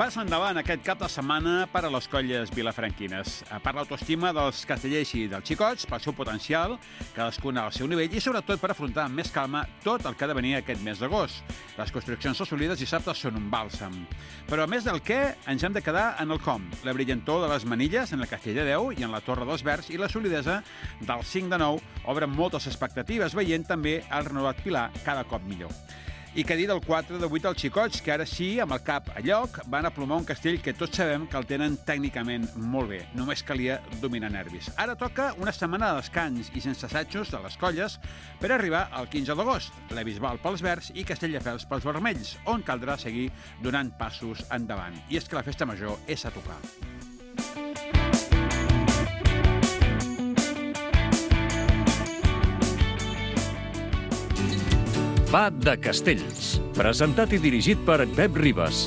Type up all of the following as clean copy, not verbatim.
Pas endavant aquest cap de setmana per a les colles vilafranquines. Per l'autoestima dels castellers i dels xicots, pel seu potencial, cadascun al seu nivell i sobretot per afrontar amb més calma tot el que ha de venir aquest mes d'agost. Les construccions assolides dissabte són un bàlsam. Però a més del què, ens hem de quedar en el com. La brillantor de les manilles en el castell de 10 i en la torre dels Verds i la solidesa del 5 de 9 obren moltes expectatives, veient també el renovat Pilar cada cop millor. I què dir del 4 de 8 als xicots, que ara sí, amb el cap a lloc, van aplomar un castell que tots sabem que el tenen tècnicament molt bé. Només calia dominar nervis. Ara toca una setmana de descans i sense assajos de les colles per arribar al 15 d'agost. La Bisbal pels verds i Castelldefels pels vermells, on caldrà seguir donant passos endavant. I és que la festa major és a tocar. Va de Castells, presentat i dirigit per Pep Ribas.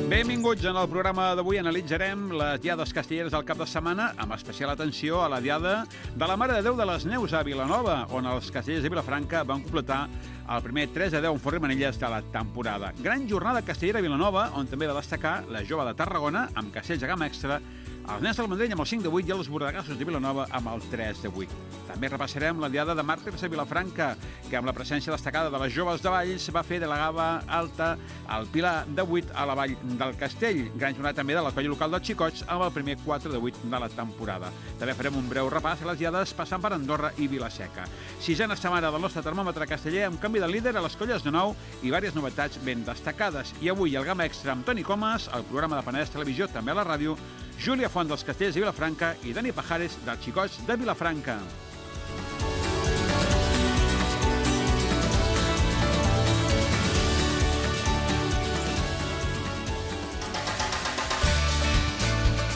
Benvinguts. En el programa d'avui analitzarem les diades castelleres del cap de setmana, amb especial atenció a la diada de la Mare de Déu de les Neus a Vilanova, on els castellers de Vilafranca van completar el primer 3-10 en Forri Manilles de la temporada. Gran jornada castellera a Vilanova, on també va destacar la Jove de Tarragona, amb castells de gamma extra, els nens del Vendrell amb el 5 de 8 i els bordegassos de Vilanova amb el 3 de 8. També repassarem la diada de màrtirs a Vilafranca, que amb la presència destacada de les joves de Valls va fer de la Gava Alta al Pilar de 8 a la Vall del Castell. Gran jornada també de la colla local dels xicots amb el primer 4 de 8 de la temporada. També farem un breu repàs a les diades passant per Andorra i Vilaseca. Sisena setmana del nostre termòmetre casteller amb canvi de líder a les colles de nou i diverses novetats ben destacades. I avui el Gamma Extra amb Toni Comas, el programa de Penedès Televisió, també a la ràdio, Júlia Font dels Castellers de Vilafranca i Dani Pajares dels Xicots de Vilafranca.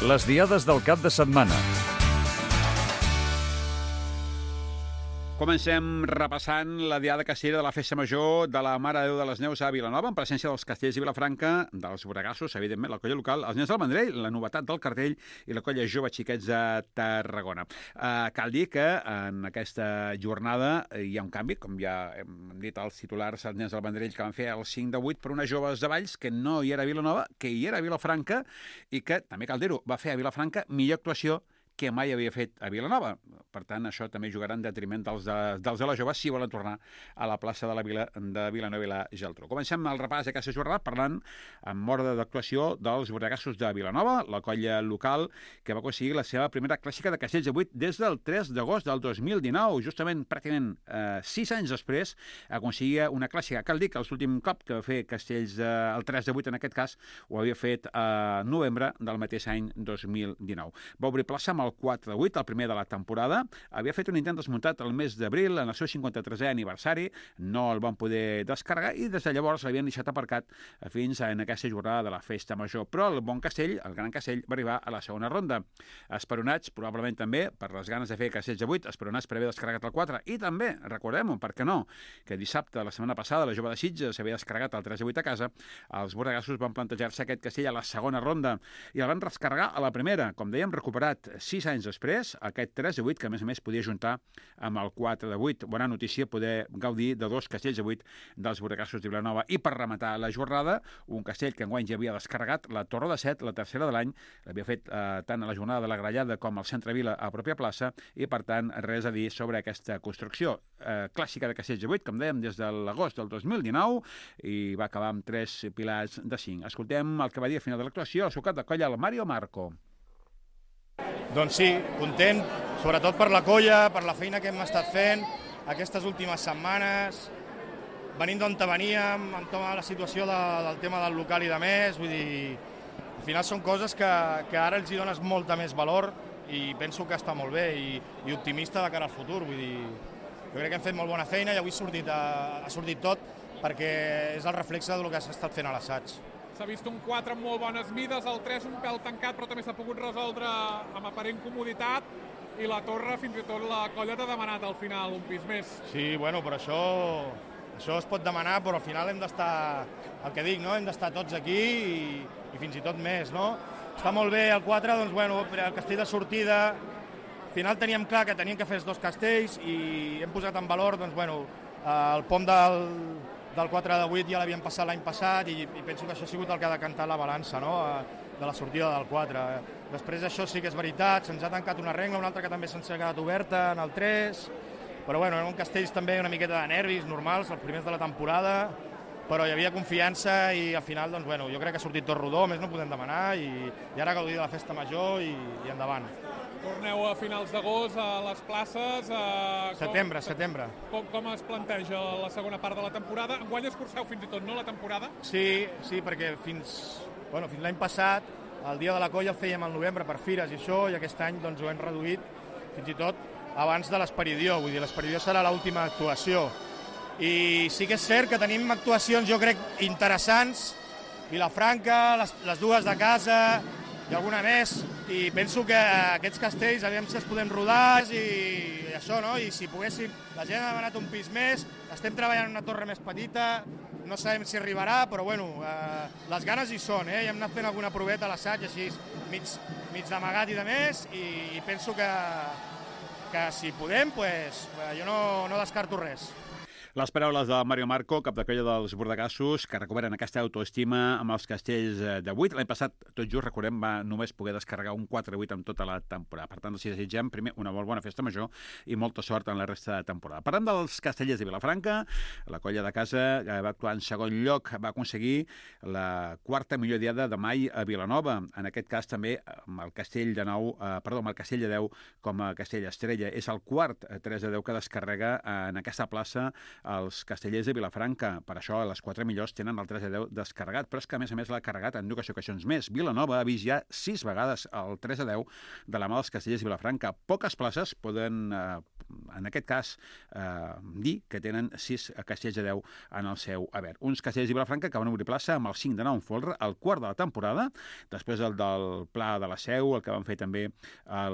Les diades del cap de setmana. Comencem repassant la diada castellera de la Festa Major de la Mare de Déu de les Neus a Vilanova, en presència dels castellers de Vilafranca, dels bordegassos, evidentment, la colla local, els nens del Vendrell, la novetat del cartell i la colla jove xiquets de Tarragona. Cal dir que en aquesta jornada hi ha un canvi, com ja hem dit als titulars, els nens del Vendrell que van fer el 5 de 8 per unes joves de Valls que no hi era a Vilanova, que hi era a Vilafranca i que, també cal dir-ho, va fer a Vilafranca millor actuació que mai havia fet a Vilanova. Per tant, això també jugarà en detriment dels de la jove si volen tornar a la plaça de la Vila de Vilanova i la Geltrú. Comencem el repàs d'aquesta jornada parlant amb ordre d'actuació dels bordegassos de Vilanova, la colla local que va aconseguir la seva primera clàssica de castells de 8 des del 3 d'agost del 2019. Justament, pràcticament 6 anys després, aconseguia una clàssica. Cal dir que l'últim cop que va fer castells el 3 de 8, en aquest cas, ho havia fet a novembre del mateix any 2019. Va obrir plaça amb el 4 de 8, el primer de la temporada. Havia fet un intent desmuntat el mes d'abril en el seu 53è aniversari, no el van poder descarregar i des de llavors l'havien deixat aparcat fins en aquesta jornada de la Festa Major. Però el bon castell, el gran castell, va arribar a la segona ronda. Esperonats, probablement també, per les ganes de fer castells de 8, esperonats per haver descarregat el 4, i també, recordem-ho, per què no, que dissabte, la setmana passada, la jove de Sitges s'havia descarregat el 3 de 8 a casa, els bordegassos van plantejar-se aquest castell a la segona ronda i el van descarregar a la primera. Com dèiem, recuperat 6 anys després, aquest 3 de 8, que a més podia juntar amb el 4 de 8. Bona notícia poder gaudir de 2 castells de 8 dels bordegassos de Vilanova. I per rematar la jornada, un castell que enguany ja havia descarregat, la Torre de Set, la tercera de l'any, l'havia fet tant a la jornada de la Grallada com al Centre Vila a pròpia plaça, i per tant res a dir sobre aquesta construcció. Clàssica de castells de 8, com dèiem, des de l'agost del 2019, i va acabar amb 3 pilars de 5. Escoltem el que va dir a final de l'actuació el seu cap de colla, el Mario Marco. Doncs sí, content, sobretot per la colla, per la feina que hem estat fent aquestes últimes setmanes, venint d'on veníem, amb tota la situació del tema del local i de més, vull dir, al final són coses que ara els hi dones molta més valor i penso que està molt bé i optimista de cara al futur, vull dir, jo crec que hem fet molt bona feina i avui ha sortit tot perquè és el reflexe del que s'ha estat fent a l'assaig. S'ha vist un 4 amb molt bones mides, el 3 un pèl tancat, però també s'ha pogut resoldre amb aparent comoditat, i la torre, fins i tot la colla t'ha demanat al final un pis més. Sí, bueno, però això es pot demanar, però al final hem d'estar, el que dic, no? Hem d'estar tots aquí i fins i tot més, no? Està molt bé el 4, doncs bueno, el castell de sortida Al final teníem clar que teníem que fer els 2 castells i hem posat en valor, doncs, bueno, el pom del 4 de 8 ja l'havíem passat l'any passat i penso que això ha sigut el que ha decantat la balança, no?, de la sortida del 4. Després això sí que és veritat, se'ns ha tancat una rengla, una altra que també se'ns ha quedat oberta en el 3, però bueno, eren castells també una miqueta de nervis normals, els primers de la temporada, però hi havia confiança i al final, doncs, bueno, jo crec que ha sortit tot rodó, més no podem demanar i ara gaudir de la festa major i endavant. Torneu a finals d'agost a les places. Setembre. Com es planteja la segona part de la temporada? Enguany escurceu fins i tot, no, la temporada? Sí, perquè fins l'any passat, el dia de la colla el fèiem al novembre per fires i això, i aquest any doncs, ho hem reduït fins i tot abans de l'Esperidió, vull dir, l'Esperidió serà l'última actuació. I sí que és cert que tenim actuacions, jo crec, interessants, Vilafranca, les 2 de casa i alguna més, i penso que aquests castells aviam si els podem rodar i això, no? I si poguéssim, la gent ha demanat un pis més, estem treballant en una torre més petita, no sabem si arribarà, però bueno, les ganes hi són, i hem anat fent alguna proveta a l'assaig, així mig d'amagat i de més, i penso que si podem, jo no descarto res. Les paraules de Mario Marco, cap de colla dels Bordegassos, que recuperen aquesta autoestima amb els castells de 8. L'any passat, tot just, recordem, va només poder descarregar un 4-8 en tota la temporada. Per tant, els desitgem, primer, una molt bona festa major i molta sort en la resta de temporada. Parlant dels castellers de Vilafranca, la colla de casa va actuar en segon lloc, va aconseguir la 4a millor diada de mai a Vilanova. En aquest cas, també, amb el castell de 10 com a castell estrella. És el quart 3-10 que descarrega en aquesta plaça els castellers de Vilafranca. Per això, les 4 millors tenen el 3-10 descarregat, però és que, a més l'ha carregat en 2 ocasions més. Vilanova ha vist ja 6 vegades el 3-10 de la mà dels castellers de Vilafranca. Poques places poden, en aquest cas, dir que tenen 6 castells de 10 en el seu haver. Uns castellers de Vilafranca que van obrir plaça amb el 5 en folre, el quart de la temporada, després el del Pla de la Seu, el que van fer també a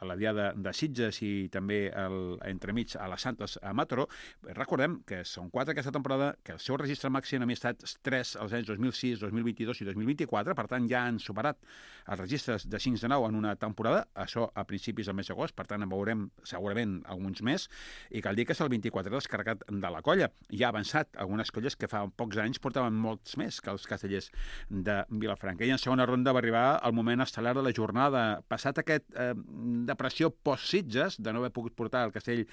la Diada de Sitges i també entremig a les Santes a Mataró. Recordem que són 4 aquesta temporada, que el seu registre màxim havia estat 3 als anys 2006, 2022 i 2024, per tant ja han superat els registres de 5 de 9 en una temporada, això a principis del mes d'agost, per tant en veurem segurament alguns més, i cal dir que és el 24 descarregat de la colla. Ja ha avançat algunes colles que fa pocs anys portaven molts més que els castellers de Vilafranca. I en segona ronda va arribar el moment estel·lar de la jornada. Passat aquest depressió post-Sitges, de no haver pogut portar el castell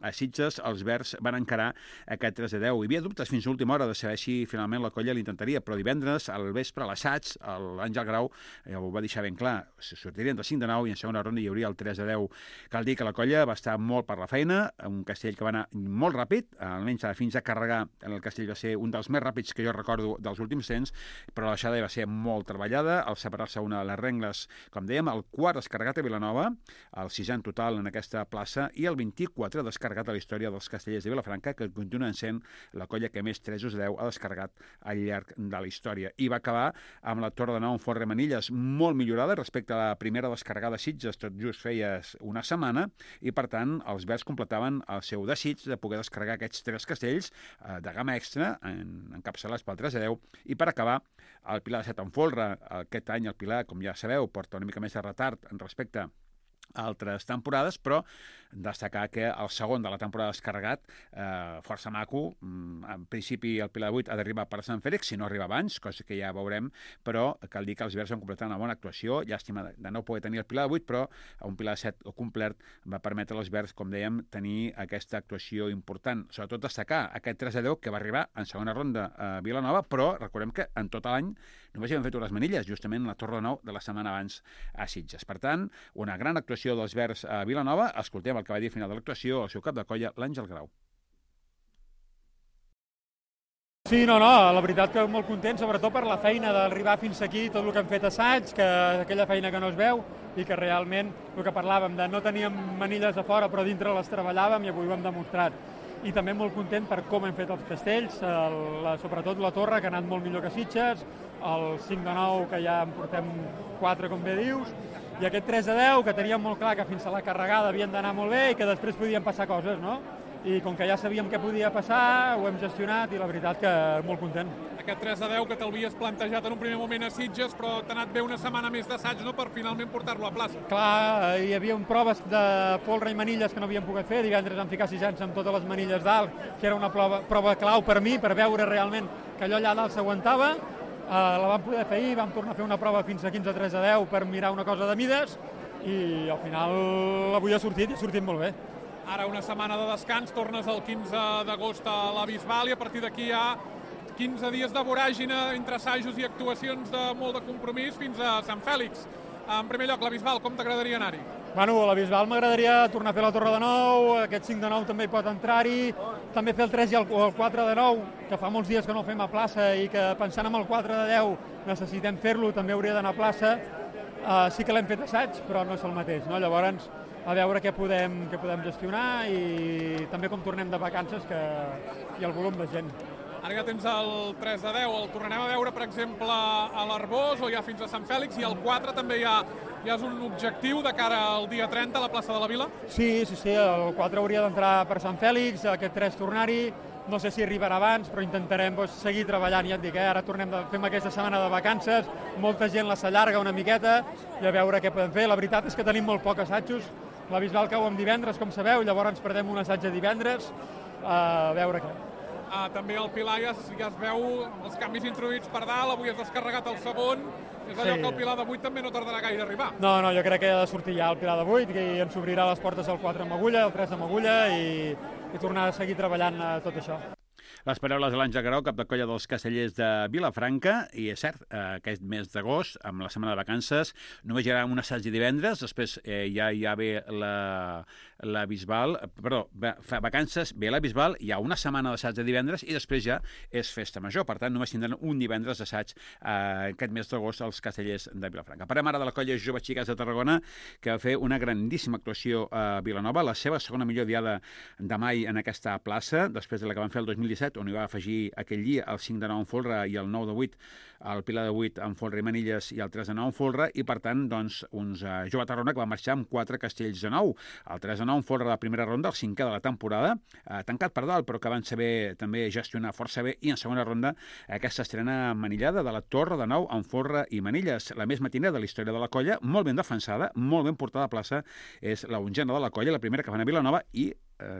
a Sitges, els verds van encarar aquest 3-10. Hi havia dubtes fins a última hora de saber si finalment la colla l'intentaria, però divendres, al vespre, a l'assaig, l'Àngel Grau ho va deixar ben clar. Sortirien de 5 de 9 i en segona ronda hi hauria el 3-10. Cal dir que la colla va estar molt per la feina, un castell que va anar molt ràpid, almenys fins a carregar el castell va ser un dels més ràpids que jo recordo dels últims temps, però la deixada va ser molt treballada, al separar-se una de les rengles, com dèiem, el quart descarregat a Vilanova, el 6è en total en aquesta plaça, i el 24 descarregat a la història dels castellers de Vilafranca, que continuen sent la colla que més 3-10 ha descarregat al llarg de la història. I va acabar amb la Torre de Nou en Folre Manilles molt millorada respecte a la primera descarregada a Sitges, tot just feia una setmana, i per tant els verds completaven el seu desig de poder descarregar aquests 3 castells de gamma extra encapçalats pel 3-10, i per acabar el Pilar de 7 en Folre. Aquest any el Pilar, com ja sabeu, porta una mica més de retard en respecte a altres temporades, però destacar que el segon de la temporada descarregat, força maco. En principi el Pilar de 8 ha d'arribar per Sant Fèlix, si no arriba abans, cosa que ja veurem, però cal dir que els verds van completar una bona actuació. Llàstima de no poder tenir el Pilar de 8, però un Pilar de 7 complet va permetre als verds, com dèiem, tenir aquesta actuació important. Sobretot destacar aquest 3-10 que va arribar en segona ronda a Vilanova, però recordem que en tot l'any només hi hem fet unes manilles, justament la Torre de Nou de la setmana abans a Sitges. Per tant, una gran actuació dels verds a Vilanova. Escoltem el que va dir al final de l'actuació el seu cap de colla, l'Àngel Grau. Sí, la veritat que molt content, sobretot per la feina d'arribar fins aquí, tot el que hem fet assaig, que aquella feina que no es veu i que realment, el que parlàvem, de no teníem manilles a fora però dintre les treballàvem i avui ho hem demostrat. I també molt content per com hem fet els castells, sobretot la torre, que ha anat molt millor que Sitges, el 5 de 9, que ja en portem 4, com bé dius, i aquest 3-10, que teníem molt clar que fins a la carregada havien d'anar molt bé i que després podien passar coses, no? I com que ja sabíem què podia passar, ho hem gestionat i la veritat que molt content. aquest 3-10 que t'havies plantejat en un primer moment a Sitges, però t'ha anat bé una setmana més d'assaig, no?, per finalment portar-lo a plaça. Clar, hi havia proves de folre i manilles que no havíem pogut fer. Divendres vam ficar 6 anys amb totes les manilles dalt, que era una prova clau per mi, per veure realment que allò allà dalt s'aguantava. La vam poder fer ahir, vam tornar a fer una prova fins a 15 3-10 per mirar una cosa de mides, i al final avui ha sortit molt bé. Ara una setmana de descans, tornes el 15 d'agost a la Bisbal i a partir d'aquí hi ha 15 dies de voràgina entre assajos i actuacions de molt de compromís fins a Sant Fèlix. En primer lloc, la Bisbal, com t'agradaria anar-hi? Bueno, a la Bisbal m'agradaria tornar a fer la Torre de 9, aquest 5 de 9 també hi pot entrar-hi, també fer el 3 i el 4 de 9, que fa molts dies que no ho fem a plaça i que pensant en el 4 de 10 necessitem fer-lo, també hauria d'anar a plaça. Sí que l'hem fet assaig, però no és el mateix, no? Llavors, a veure què podem gestionar i també com tornem de vacances, que hi ha el volum de gent. Ara ja tens el 3 de 10, el tornarem a veure, per exemple, a l'Arbós o ja fins a Sant Fèlix, i el 4 també ja és un objectiu de cara al dia 30 a la plaça de la Vila? Sí, el 4 hauria d'entrar per Sant Fèlix, aquest 3 tornar-hi, no sé si arribarà abans, però intentarem seguir treballant, ja et dic, ara fem aquesta setmana de vacances, molta gent la s'allarga una miqueta i a veure què podem fer. La veritat és que tenim molt pocs assajos, la Bisbal cau en divendres, com sabeu, llavors ens perdem un assaig de divendres, a veure què. També el Pilar ja es veu els canvis introduïts per dalt, avui has descarregat el segon, és allò que el Pilar de 8 també no tardarà gaire a arribar. No, jo crec que ha de sortir ja el Pilar de 8 i ens obrirà les portes el 4 amb agulla, el 3 amb agulla i tornar a seguir treballant tot això. Les paraules de l'Àngel Garau, cap de colla dels Castellers de Vilafranca, i és cert, aquest mes d'agost, amb la setmana de vacances, només hi haurà un assaig de divendres, després ja ve la Bisbal, vacances, ve la Bisbal, hi ha una setmana d'assaig de divendres i després ja és festa major, per tant només tindran un divendres d'assaig aquest mes d'agost als Castellers de Vilafranca. Parlem ara de la colla Jove Xiques de Tarragona, que va fer una grandíssima actuació a Vilanova, la seva segona millor diada de mai en aquesta plaça, després de la que van fer el 2017, on hi va afegir aquell dia el 5 de 9 en folre i el 9 de 8, el Pilar de 8 en folre i manilles i el 3 de 9 en folre, i per tant, doncs, uns Jove Tarragona que va marxar amb 4 castells de 9. El 3 de 9 en folre de la primera ronda, el 5è de la temporada, tancat per dalt, però que van saber també gestionar força bé, i en segona ronda aquesta estrena manillada de la Torre de 9 en folre i manilles. La més matinera de la història de la colla, molt ben defensada, molt ben portada a plaça, és la onzena de la colla, la primera que van a Vilanova, i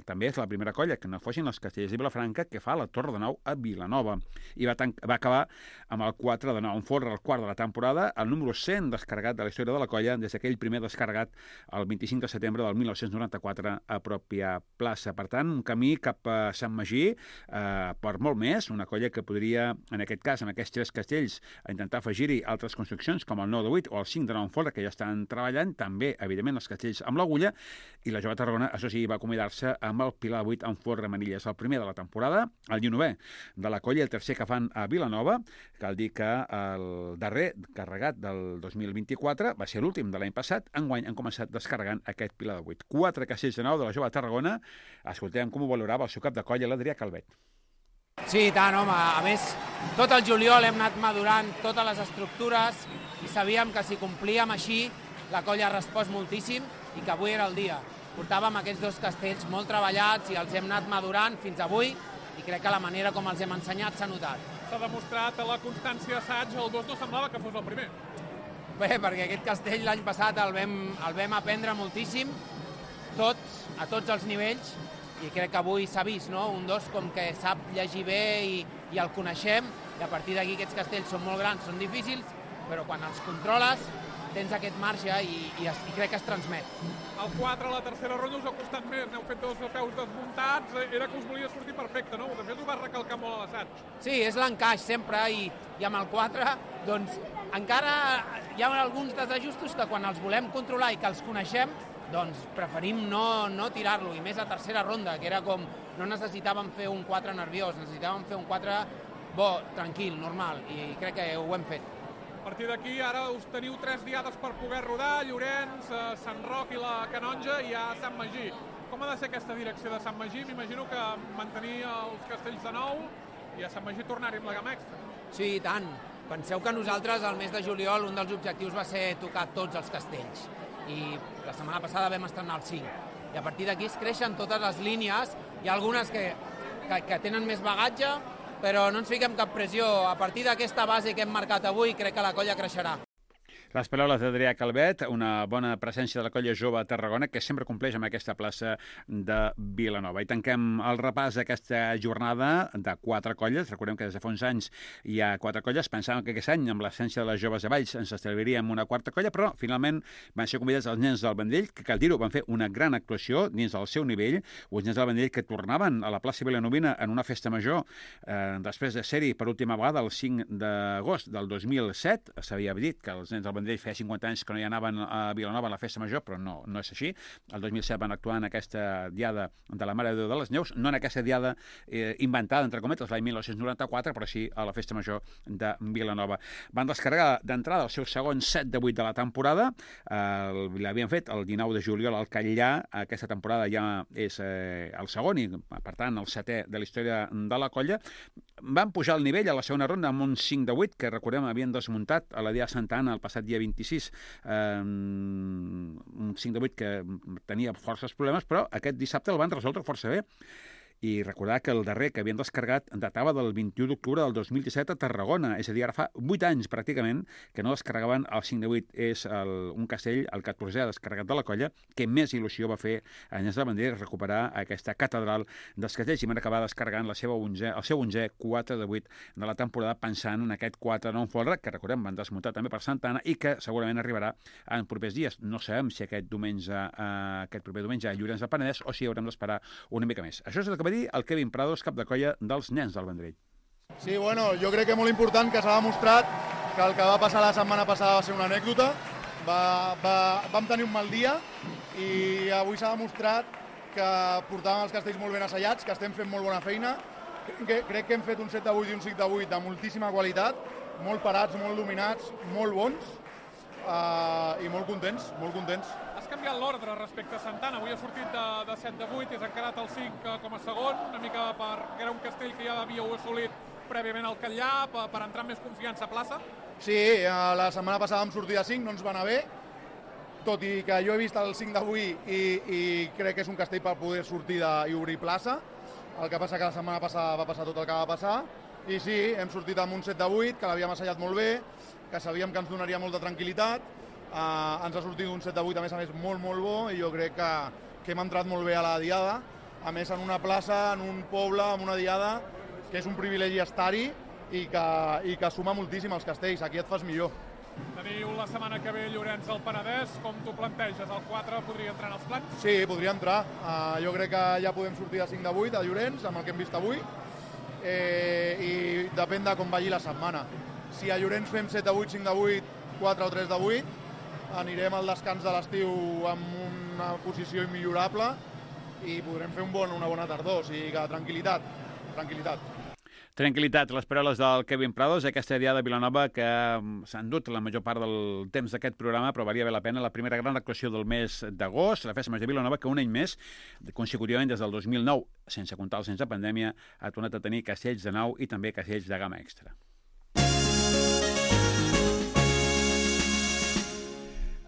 també és la primera colla, que no fossin els Castellers de Vilafranca, que fa la Torre de 9 a Vilanova. I va acabar amb el 4 de 9 en folre, el quart de la temporada, el número 100 descarregat de la història de la colla, des d'aquell primer descarregat el 25 de setembre del 1994 a pròpia plaça. Per tant, un camí cap a Sant Magí per molt més, una colla que podria, en aquest cas, amb aquests 3 castells, intentar afegir-hi altres construccions, com el 9 de 8 o el 5 de 9 en folre, que ja estan treballant, també, evidentment, els castells amb l'agulla, i la Jove Tarragona, això sí, va acomiadar-se amb el Pilar 8 en folre manilles, el primer de la temporada, el 19è de la colla, el tercer que fan a Vilanova. Cal dir que el darrer carregat del 2024 va ser l'últim de l'any passat. Enguany han començat descarregant aquest Pilar de 8. 4 castells de 9 de la Jove Tarragona. Escoltem com ho valorava el seu cap de colla, l'Adrià Calvet. Sí, i tant, home. A més, tot el juliol hem anat madurant totes les estructures i sabíem que si complíem així, la colla ha respost moltíssim i que avui era el dia. Portàvem aquests 2 castells molt treballats i els hem anat madurant fins avui, i crec que la manera com els hem ensenyat s'ha notat. S'ha demostrat a la constància d'assaig, el 2 no semblava que fos el primer. Bé, perquè aquest castell l'any passat el vam aprendre moltíssim, a tots els nivells, i crec que avui s'ha vist, no? Un 2 com que sap llegir bé i el coneixem, i a partir d'aquí aquests castells són molt grans, són difícils, però quan els controles tens aquest marge i crec que es transmet. El 4 a la tercera ronda us ha costat més, n'heu fet 2 peus desmuntats, era que us volia sortir perfecte, no? De fet, ho va recalcar molt a l'assaig. Sí, és l'encaix sempre, i amb el 4, doncs, encara hi ha alguns desajustos que quan els volem controlar i que els coneixem, doncs preferim no tirar-lo, i més a tercera ronda, que era com, no necessitàvem fer un 4 nerviós, necessitàvem fer un 4 bo, tranquil, normal, i crec que ho hem fet. A partir d'aquí, ara us teniu 3 diades per poder rodar, Llorenç, Sant Roc i la Canonja, i a Sant Magí. Com ha de ser aquesta direcció de Sant Magí? M'imagino que mantenir els castells de nou i a Sant Magí tornar-hi amb la gamma extra. Sí, i tant. Penseu que nosaltres, al mes de juliol, un dels objectius va ser tocar tots els castells. I la setmana passada vam estrenar el 5. I a partir d'aquí es creixen totes les línies. Hi ha algunes que tenen més bagatge, però no ens fiquem cap pressió. A partir d'aquesta base que hem marcat avui, crec que la colla creixerà. Les paraules d'Adrià Calvet, una bona presència de la colla jove a Tarragona, que sempre compleix amb aquesta plaça de Vilanova. I tanquem el repàs d'aquesta jornada de 4 colles. Recordem que des de fa uns anys hi ha 4 colles. Pensàvem que aquest any, amb l'essència de les joves de Valls, ens estalviaríem una 4a colla, però finalment van ser convidats els nens del Vendrell, que cal dir-ho, van fer una gran actuació dins del seu nivell. Uns nens del Vendrell que tornaven a la plaça Vilanovina en una festa major després de ser-hi per última vegada el 5 d'agost del 2007. S'havia dit que els nens del Vendrell feia 50 anys que no hi anaven a Vilanova a la festa major, però no és així. El 2007 van actuar en aquesta diada de la Mare de Déu de les Neus, no en aquesta diada inventada, entre cometes, l'any 1994, però sí a la festa major de Vilanova. Van descarregar d'entrada el seu segon 7 de 8 de la temporada. L'havien fet el 19 de juliol al Catllà. Aquesta temporada ja és el segon i, per tant, el 7è de la història de la colla. Van pujar el nivell a la segona ronda amb un 5 de 8, que recordem havien desmuntat a la Diada Santa Anna el passat dia 26. Un 5 de 8 que tenia forces problemes, però aquest dissabte el van resoldre força bé. I recordar que el darrer que havien descarregat datava del 21 d'octubre del 2017 a Tarragona, és a dir, ara fa 8 anys pràcticament que no descarregaven el 5 de 8. És un castell, el 14è descarregat de la colla, que més il·lusió va fer a Nens de Vendrell recuperar aquesta catedral dels castells i van acabar descarregant el seu 11è 4 de 8 de la temporada, pensant en aquest 4 non folre, que recordem van desmuntar també per Santa Anna i que segurament arribarà en propers dies. No sabem si aquest proper diumenge a Llorenç del Penedès o si haurem d'esperar una mica més. Això és el que va dir el Kevin Prados, cap de colla dels Nens del Vendrell. Sí, bueno, jo crec que és molt important que s'ha demostrat que el que va passar la setmana passada va ser una anècdota. Vam tenir un mal dia i avui s'ha demostrat que portàvem els castells molt ben assaiats, que estem fent molt bona feina. Crec que hem fet un 7 de 8 i un 5 de 8 de moltíssima qualitat, molt parats, molt dominats, molt bons i molt contents, molt contents. Has canviat l'ordre respecte a Santana. Avui ha sortit de 7 de 8 i has encarat el 5 com a segon, una mica perquè era un castell que ja havíeu assolit prèviament al Catllà, per entrar amb més confiança a plaça? Sí, la setmana passada vam sortir de 5, no ens va anar bé, tot i que jo he vist el 5 d'avui i crec que és un castell per poder sortir i obrir plaça. El que passa que la setmana passada va passar tot el que va passar i sí, hem sortit amb un 7 de 8, que l'havíem assajat molt bé, que sabíem que ens donaria molta tranquil·litat. Ens ha sortit un 7 de 8, a més, molt, molt bo, i jo crec que hem entrat molt bé a la diada. A més, en una plaça, en un poble, en una diada, que és un privilegi estar-hi i que suma moltíssim als castells. Aquí et fas millor. Teniu la setmana que ve Llorenç del Penedès. Com t'ho planteges? El 4 podria entrar en els plans? Sí, podria entrar. Jo crec que ja podem sortir de 5 de 8 a Llorenç, amb el que hem vist avui, i depèn de com vagi la setmana. Si a Llorenç fem 7 de 8, 5 de 8, 4 o 3 de 8, anirem al descans de l'estiu amb una posició immillorable i podrem fer una bona tardor. O sigui que tranquil·litat. Tranquil·litat, les paraules del Kevin Prados, aquesta diada de Vilanova que s'han dut la major part del temps d'aquest programa, però valia bé la pena. La primera gran actuació del mes d'agost, la festa major de Vilanova, que un any més, consecutivament des del 2009, sense comptar el sense pandèmia, ha tornat a tenir castells de nau i també castells de gamma extra.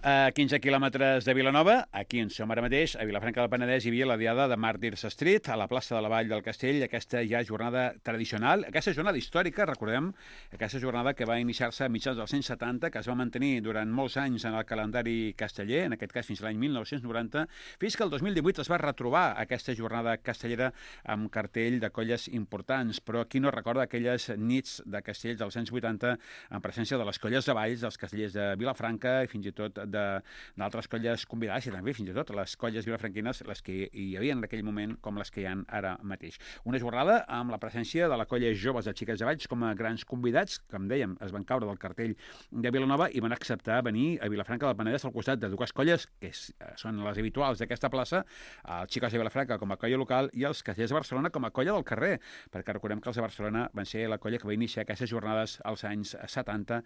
A 15 quilòmetres de Vilanova, aquí on som ara mateix, a Vilafranca del Penedès, hi havia la diada de Màrtirs Street, a la plaça de la Vall del Castell, aquesta ja jornada tradicional, aquesta jornada històrica, recordem, aquesta jornada que va iniciar-se a mitjans dels 170, que es va mantenir durant molts anys en el calendari casteller, en aquest cas fins a l'any 1990, fins que el 2018 es va retrobar aquesta jornada castellera amb cartell de colles importants, però qui no recorda aquelles nits de castells dels anys 80 en presència de les colles de Valls, dels castellers de Vilafranca i fins i tot d'altres colles convidades i també fins i tot les colles vilafranquines, les que hi havia en aquell moment com les que hi ha ara mateix. Una jornada amb la presència de la colla joves de Xiquets de Valls com a grans convidats, com dèiem, es van caure del cartell de Vilanova i van acceptar venir a Vilafranca del Penedès al costat de dues colles que són les habituals d'aquesta plaça, els Xiquets de Vilafranca com a colla local i els Castellers de Barcelona com a colla del carrer, perquè recordem que els de Barcelona van ser la colla que va iniciar aquestes jornades als anys 70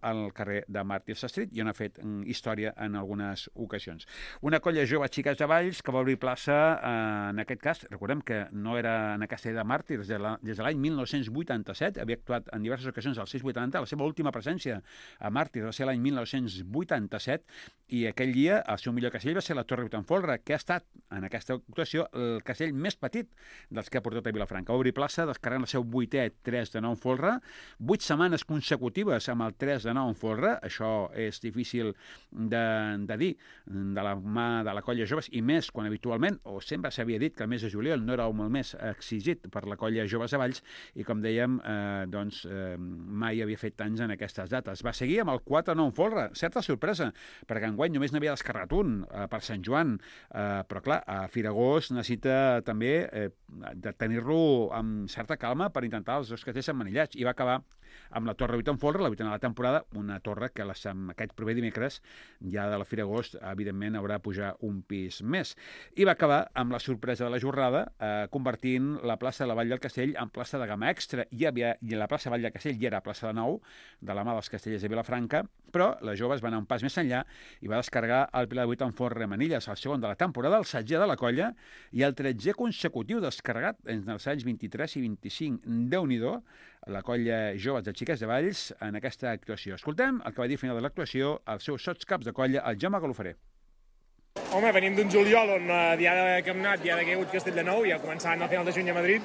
al carrer de Màrtirs Street i on ha fet història en algunes ocasions. Una colla jove xiques de Valls que va obrir plaça, en aquest cas, recordem que no era en el Castell de Màrtirs des de l'any 1987, havia actuat en diverses ocasions al 680, la seva última presència a Màrtirs va ser l'any 1987, i aquell dia el seu millor castell va ser la Torre Vitanfolra, que ha estat en aquesta actuació el castell més petit dels que ha portat a Vilafranca. Va obrir plaça descarregant el seu 8è 3 de 9 en folre, 8 setmanes consecutives amb el 3 de 9 en folre, això és difícil de dir de la mà de la colla joves, i més quan habitualment, o sempre s'havia dit que el mes de juliol no era el mes exigit per la colla joves de Valls, i com dèiem, mai havia fet tants en aquestes dates. Va seguir amb el 4-9 en folre, certa sorpresa, perquè enguany només n'havia descarregat un per Sant Joan, però clar, a Firagós necessita també de tenir-lo amb certa calma per intentar els dos castells emmanillats, i va acabar amb la Torre 8 en folre, la 8a de la temporada, una torre que aquest proper dimecres, ja de la Fira Agost, evidentment haurà de pujar un pis més. I va acabar amb la sorpresa de la jornada, convertint la plaça de la Vall del Castell en plaça de gamma extra. I la plaça Vall del Castell ja era plaça de nou, de la mà dels castellers de Vilafranca, però les joves van anar un pas més enllà i va descarregar el Pilar de 8 en folre Manilles, el segon de la temporada, el 16è de la colla, i el 13è consecutiu descarregat entre els anys 23 i 25. Déu-n'hi-do, la colla joves de xiques de Valls en aquesta actuació. Escoltem el que va dir al final de l'actuació els seus sotscaps de colla, el Jaume Galofré. Home, venim d'un juliol on diada que hem anat, diada que hi ha hagut Castelldefels, ja començant al final de juny a Madrid,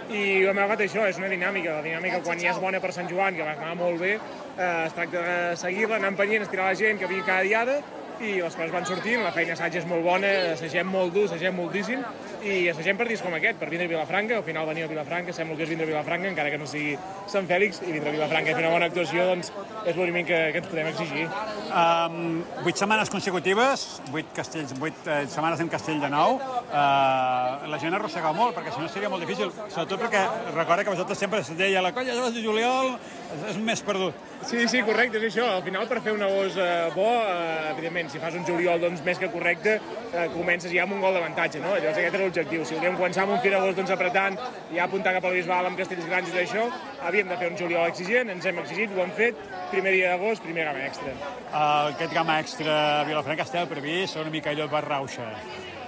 i hem agafat això, és una dinàmica. La dinàmica, quan ja és bona per Sant Joan, que va anar molt bé, es tracta de seguir-la, anar empenyent, estirar la gent, que vingui cada diada, i les coses van sortint, la feina assaig és molt bona, assagem molt dur, assagem moltíssim, i assagem per dies com aquest, per vindre a Vilafranca. Al final venir a Vilafranca, sembla que és vindre a Vilafranca, encara que no sigui Sant Fèlix, i vindre a Vilafranca i fer una bona actuació, doncs és l'únic que ens podem exigir. 8 setmanes consecutives, 8 setmanes en castell de nou, la gent arrossega molt, perquè si no seria molt difícil, sobretot perquè recorda que vosaltres sempre es deia la colla de juliol és més perdut. Sí, correcte, és això. Al final, per fer un agost bo, evidentment, si fas un juliol més que correcte, comences ja amb un gol d'avantatge, no? Llavors aquest era l'objectiu. Si volíem començar amb un Firagós apretant, ja apuntar cap al Bisbal amb castells grans i d'això, havíem de fer un juliol exigent, ens hem exigit, ho hem fet, primer dia d'agost, primer gamma extra. Aquest gamma extra a Vilafranca estava previst, una mica allò per rauxa.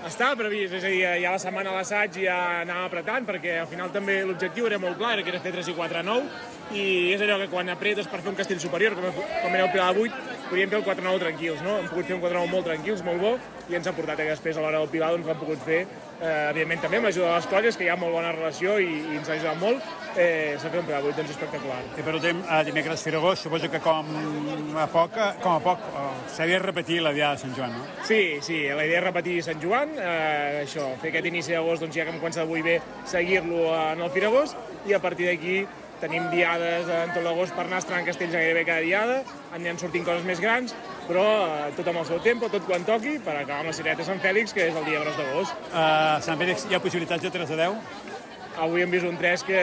Estava previst, és a dir, ja la setmana a l'assaig ja anàvem apretant, perquè al final també l'objectiu era molt clar, que era fer 3 i 4 a 9, i és allò que quan apretes per fer un castell superior, com era el Pilar de 8, podíem fer el 4-9 tranquils, no? Hem pogut fer un 4-9 molt tranquils, molt bo, i ens ha portat que després a l'hora del Pilar doncs l'hem pogut fer, evidentment també amb l'ajuda de les colles, que hi ha molt bona relació i ens ha ajudat molt, s'ha fet un Pilar de 8 doncs espectacular. I per últim, dimecres Firagós, suposo que com a poc, s'havia de repetir la diada de Sant Joan, no? Sí, la idea és repetir Sant Joan, això, fer aquest inici d'agost, doncs ja que hem començat avui bé, seguir-lo en el Firagós, i a partir d'aquí tenim diades en tot l'agost per anar estrenant castells gairebé cada diada, aniran sortint coses més grans, però tot amb el seu tempo, tot quan toqui, per acabar amb la cirereta de Sant Fèlix, que és el dia gros d'agost. Sant Fèlix, hi ha possibilitats de 3 a 10? Avui hem vist un 3 que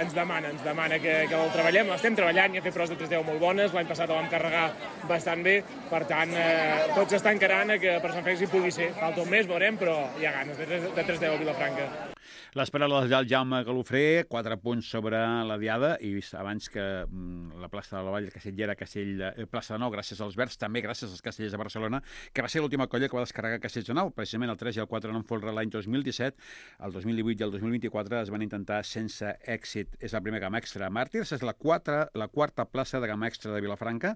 ens demana que el treballem. L'estem treballant, i ha fet proves de 3-10 molt bones, l'any passat el vam carregar bastant bé, per tant, tot s'està encarant que per Sant Fèlix hi pugui ser. Falta un mes, veurem, però hi ha ganes de 3-10 a Vilafranca. Les paraules del Jaume Galofré, 4 punts sobre la diada, i vist abans que la plaça de la Vall de Castell era plaça de Nou, gràcies als Verds, també gràcies als Castellers de Barcelona, que va ser l'última colla que va descarregar Castells de Nou, precisament el 3 i el 4 en folre l'any 2017, el 2018 i el 2024 es van intentar sense èxit. És la primera gamma extra. Màrtirs és la quarta plaça de gamma extra de Vilafranca,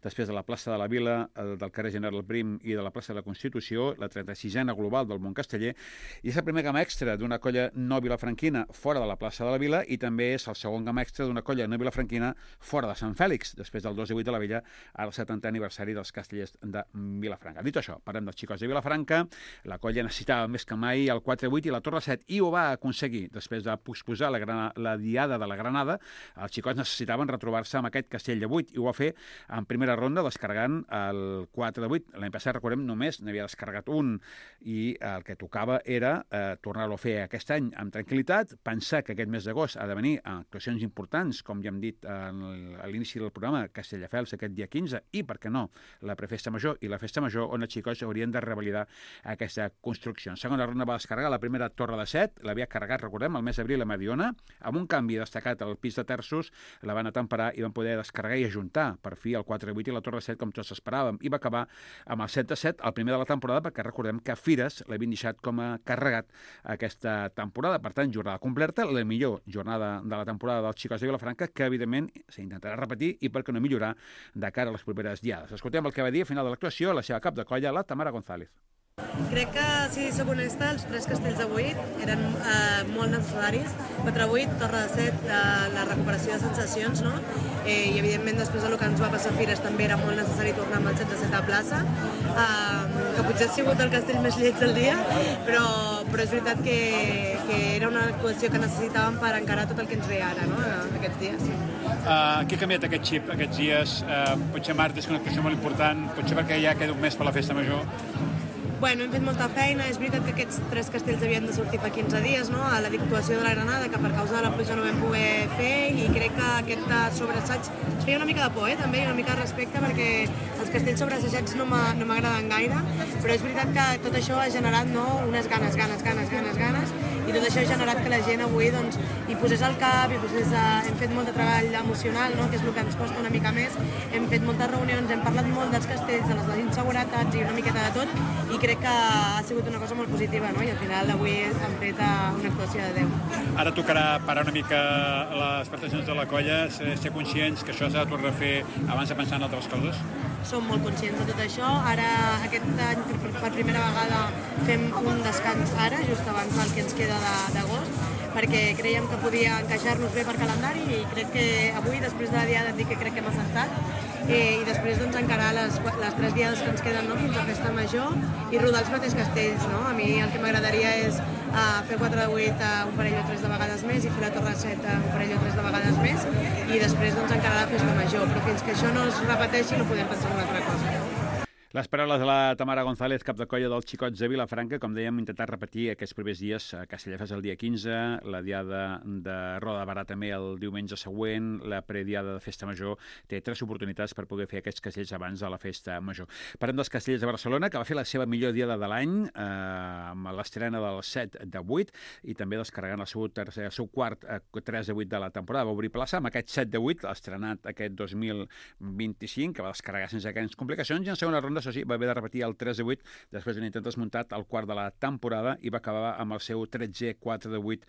després de la plaça de la Vila, del carrer General Prim i de la plaça de la Constitució, la 36a global del món casteller, i és la primera gamma extra d'una colla no vilafranquina fora de la plaça de la Vila, i també és el segon gamma extra d'una colla no vilafranquina fora de Sant Fèlix, després del 2 de 8 de la Villa, al 70è aniversari dels castellers de Vilafranca. Dit això, parlem dels xicots de Vilafranca. La colla necessitava més que mai el 4-8 i la Torre 7, i ho va aconseguir. Després de posposar la diada de la Granada, els xicots necessitaven retrobar-se amb aquest castell de 8, i ho va fer en primera ronda descarregant el 4 de 8. L'any passat, recordem, només n'havia descarregat un, i el que tocava era tornar-lo a fer aquest any, l'any amb tranquil·litat, pensar que aquest mes d'agost ha de venir a actuacions importants, com ja hem dit a l'inici del programa, Castelldefels aquest dia 15, i, per què no, la prefesta major i la festa major, on els xicots haurien de revalidar aquesta construcció. En segona ronda va descarregar la primera torre de 7, l'havia carregat, recordem, el mes d'abril a Mediona, amb un canvi destacat al pis de terços, la van atemperar i van poder descarregar i ajuntar, per fi, el 4-8 i la torre de 7, com tots esperàvem, i va acabar amb el 7-7, el primer de la temporada, perquè recordem que Fires l'havien deixat com a carregat aquesta temporada. Per tant, jornada completa, la millor jornada de la temporada dels xicots de Vilafranca, que, evidentment, s'intentarà repetir i, per què no, millorar de cara a les properes diades. Escoltem el que va dir a final de l'actuació la seva cap de colla, la Tamara González. Crec que, si soc honesta, els 3 castells d'avui eren molt necessaris. 4-8, Torre de 7, la recuperació de sensacions, no? I, evidentment, després del que ens va passar a Fires, també era molt necessari tornar amb el 7-7 a plaça, que potser ha sigut el castell més lleig del dia, però és veritat que era una actuació que necessitàvem per encarar tot el que ens ve ara, no?, aquests dies. Què ha canviat aquest xip aquests dies? Potser Mart és una actuació molt important, potser perquè ja queda un mes per la festa major. Bueno, hem fet molta feina, és veritat que aquests 3 castells havien de sortir fa 15 dies, no?, a la actuació de la Granada, que per causa de la pluja no vam poder fer, i crec que aquest sobreassaig ens feia una mica de por, també, i una mica de respecte, perquè els castells sobreassajats no m'agraden gaire, però és veritat que tot això ha generat, no?, unes ganes, i tot això ha generat que la gent avui, doncs, hi posés el cap, hem fet molt de treball emocional, no?, que és el que ens costa una mica més, hem fet moltes reunions, hem parlat molt dels castells, de les inseguretats i una miqueta de tot, i crec que ha sigut una cosa molt positiva, no?, i al final avui hem fet una actuació de 10. Ara tocarà parar una mica les prestacions de la colla, ser conscients que això s'ha de tornar a fer abans de pensar en altres coses? Som molt conscients de tot això. Ara, aquest any, per primera vegada, fem un descans ara, just abans del que ens queda d'agost, perquè creiem que podia encaixar-nos bé per calendari, i crec que avui, després de la diada, et dic que crec que hem acertat, i després doncs, encarar les 3 diades que ens queden, no?, fins a festa major, i rodar els mateixos castells, no? A mi el que m'agradaria és fer 4-8 un parell o 3 de vegades més, i fer la Torre 7 un parell o 3 de vegades més, i després doncs, encarar la festa major, però fins que això no es repeteixi no podem pensar en una altra cosa. Les paraules de la Tamara González, cap de colla dels xicots de Vilafranca. Com dèiem, intentat repetir aquests primers dies a Castelldefels el dia 15, la diada de Roda de Barà també el diumenge següent, la prediada de Festa Major. Té 3 oportunitats per poder fer aquests castells abans de la Festa Major. Parlem dels castells de Barcelona, que va fer la seva millor diada de l'any, amb l'estrena del 7-8, i també descarregant el seu quart 3-8 de la temporada. Va obrir plaça amb aquest 7-8, estrenat aquest 2025, que va descarregar sense grans complicacions, i en segona ronda, això sí, va haver de repetir el 3-8 després d'un intent desmuntat al quart de la temporada, i va acabar amb el seu 13 4-8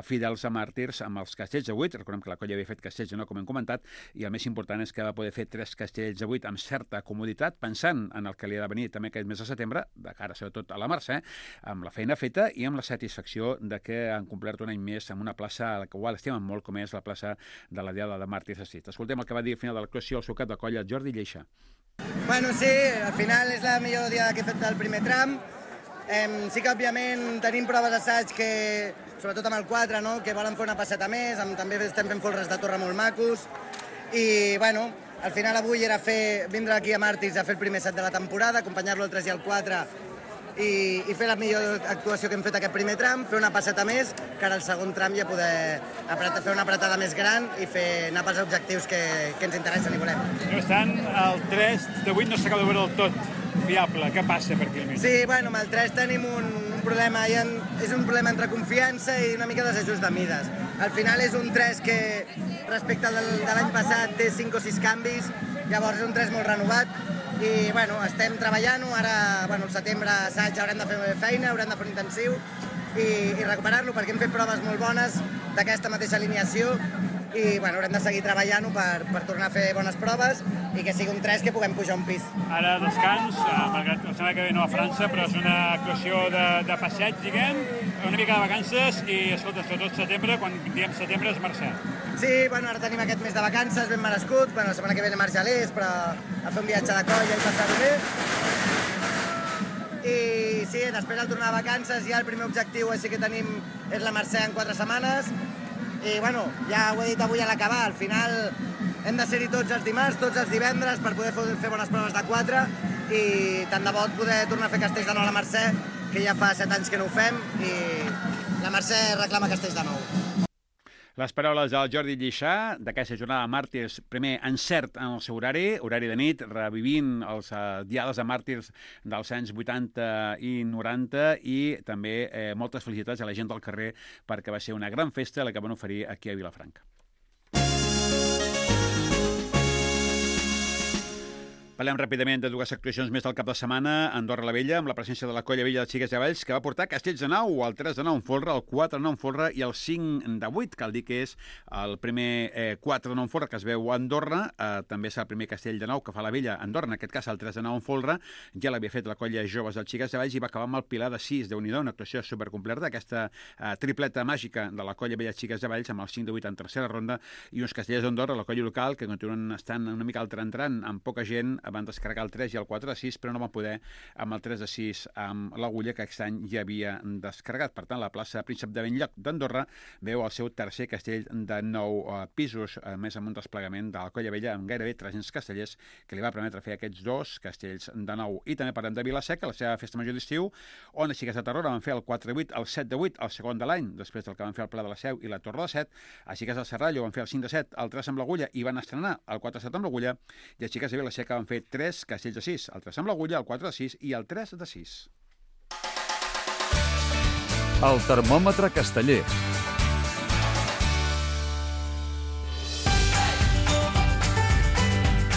fidels a màrtirs amb els castells de 8. Recordem que la colla havia fet castells de 9, com hem comentat, i el més important és que va poder fer 3 castells de 8 amb certa comoditat, pensant en el que li ha de venir també aquest mes de setembre, de cara sobretot a la Mercè, amb la feina feta i amb la satisfacció de que han complert un any més amb una plaça a la qual estimen molt, com és la plaça de la diada de Màrtirs de Sis. Escoltem el que va dir al final de l'actuació el seu cap de colla, Jordi Lleixa. Bueno, sí, al final és la millor diada que he fet del primer tram. Sí que, òbviament, tenim proves d'assaig que, sobretot amb el 4, no?, que volen fer una passeta més, també estem fent folres de torre molt macos, i, bueno, al final avui era vindre aquí a Màrtirs a fer el primer set de la temporada, acompanyar-lo el 3 i el 4, i fer la millor actuació que hem fet aquest primer tram, fer una passeta més, que ara el segon tram ja poder fer una apretada més gran i anar pels objectius que ens interessen i volem. No obstant, el 3-8 no s'acaba de veure del tot fiable. Què passa per aquí al mig? Sí, bueno, amb el 3 tenim un problema, és un problema entre confiança i una mica desajust de mides. Al final és un 3 que, respecte de l'any passat, té 5 o 6 canvis, llavors és un 3 molt renovat, i bueno, estem treballant-ho, ara al setembre assaig haurem de fer feina, haurem de fer un intensiu i recuperar-lo, perquè hem fet proves molt bones d'aquesta mateixa alineació, i bueno, haurem de seguir treballant-ho per tornar a fer bones proves i que sigui un 3 que puguem pujar un pis. Ara descans, malgrat la setmana que ve no a França, però és una actuació de passeig, diguem, una mica de vacances, i escolta, sobretot setembre, quan diem setembre és Mercè. Sí, bueno, ara tenim aquest mes de vacances ben merescut, bueno, la setmana que ve anem a Argelers, però a fer un viatge de colla i passar-ho bé. I sí, després al tornar a vacances ja el primer objectiu així que tenim és la Mercè en 4 setmanes, i bueno, ja ho he dit avui a l'acabar, al final hem de ser-hi tots els dimarts, tots els divendres per poder fer bones proves de 4, i tant de bo poder tornar a fer castells de nou a la Mercè, que ja fa 7 anys que no ho fem, i la Mercè reclama Castells de nou. Les paraules del Jordi Lliçà d'aquesta jornada de màrtirs, primer encert en el seu horari de nit, revivint els diades de màrtirs dels anys 80 i 90 i també moltes felicitats a la gent del carrer perquè va ser una gran festa la que van oferir aquí a Vilafranca. Parlem ràpidament de dues actuacions més del cap de setmana. Andorra la Vella, amb la presència de la Colla Vella de Xiquets de Valls, que va portar Castells de 9, el 3 de 9 en folre, el 4 de 9 en folre i el 5 de 8, cal dir que és el primer 4 de 9 en folre que es veu a Andorra. També és el primer Castell de 9 que fa la Vella a Andorra, en aquest cas el 3 de 9 en folre. Ja l'havia fet la Colla Joves del Xiquets de Valls i va acabar amb el Pilar de 6. Déu-n'hi-do, una actuació supercompleta, aquesta tripleta màgica de la Colla Vella de Xiquets de Valls amb el 5 de 8 en tercera ronda i uns Castellers d'Andorra, la colla local, que continuen estant una mica al tran-tran, amb poca gent, van descarregar el 3 i el 4 de 6, però no van poder amb el 3 de 6 amb l'Agulla, que aquest any ja havia descarregat. Per tant, la plaça Príncep de Benlloc d'Andorra veu el seu tercer castell de 9 pisos, a més amb un desplegament de la Colla Vella amb gairebé 300 castellers, que li va permetre fer aquests dos castells de 9. I també parlem de Vila-seca, la seva festa major d'estiu, on els Xiquets de Tarragona van fer el 4 de 8, el 7 de 8, el segon de l'any, després del que van fer el Pla de la Seu i la Torre de 7. Els Xiquets del Serrallo van fer el 5 de 7, el 3 amb l'Agulla i van estrenar el 4 de 7 amb l'Agulla, i els Xiquets de Vila-seca van fer 3 castells de 6, el 3 amb l'Agulla, el 4 de 6 i el 3 de 6. El termòmetre casteller.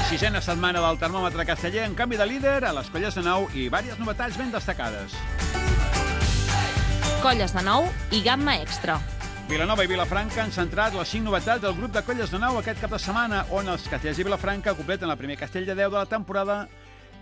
Sisena setmana del termòmetre casteller, en canvi de líder a les colles de 9 i diverses novetats ben destacades. Colles de 9 i gamma extra. Vilanova i Vilafranca han centrat les 5 novetats del grup de colles de 9 aquest cap de setmana, on els castellers de Vilafranca completen el primer castell de 10 de la temporada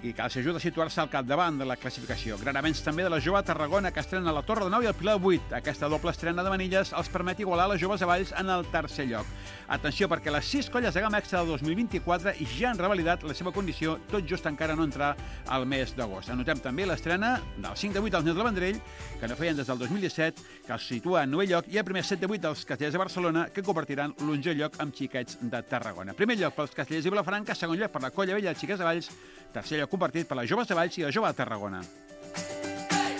i que els ajuda a situar-se al capdavant de la classificació. Gran avenç també de la jove Tarragona, que estrena la Torre de 9 i el Pilar de 8. Aquesta doble estrena de Manilles els permet igualar les joves de Valls en el tercer lloc. Atenció, perquè les 6 colles de gamma extra del 2024 ja han revalidat la seva condició, tot just encara no entrar al mes d'agost. Anotem també l'estrena del 5 de 8 dels Nens del Vendrell, que no feien des del 2017, que els situa en 9è lloc, i el primer 7 de 8 dels castellers de Barcelona, que compartiran l'11è lloc amb Xiquets de Tarragona. Primer lloc pels castellers de Vilafranca, segon lloc per la Colla Vella de Xiquets de Valls, tercer lloc compartit per les joves de Valls i la jove de Tarragona.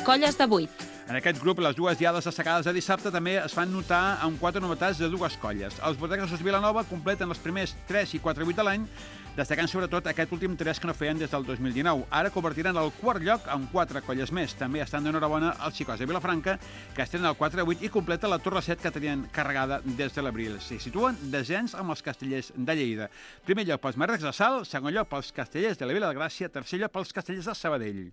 Colles de 8. En aquest grup, les dues diades destacades de dissabte també es fan notar amb 4 novetats de dues colles. Els Bordegassos Vilanova completen els primers 3 i 4 8 de l'any, destacant sobretot aquest últim 3 que no feien des del 2019. Ara convertiran el quart lloc amb 4 colles més. També estan d'enhorabona els Xicots de Vilafranca, que estrenen el 4 8 i completa la Torre 7 que tenien carregada des de l'abril. S'hi situen desens amb els castellers de Lleida. Primer lloc pels Marrecs de Salt, segon lloc pels castellers de la Vila de Gràcia, tercer lloc pels castellers de Sabadell.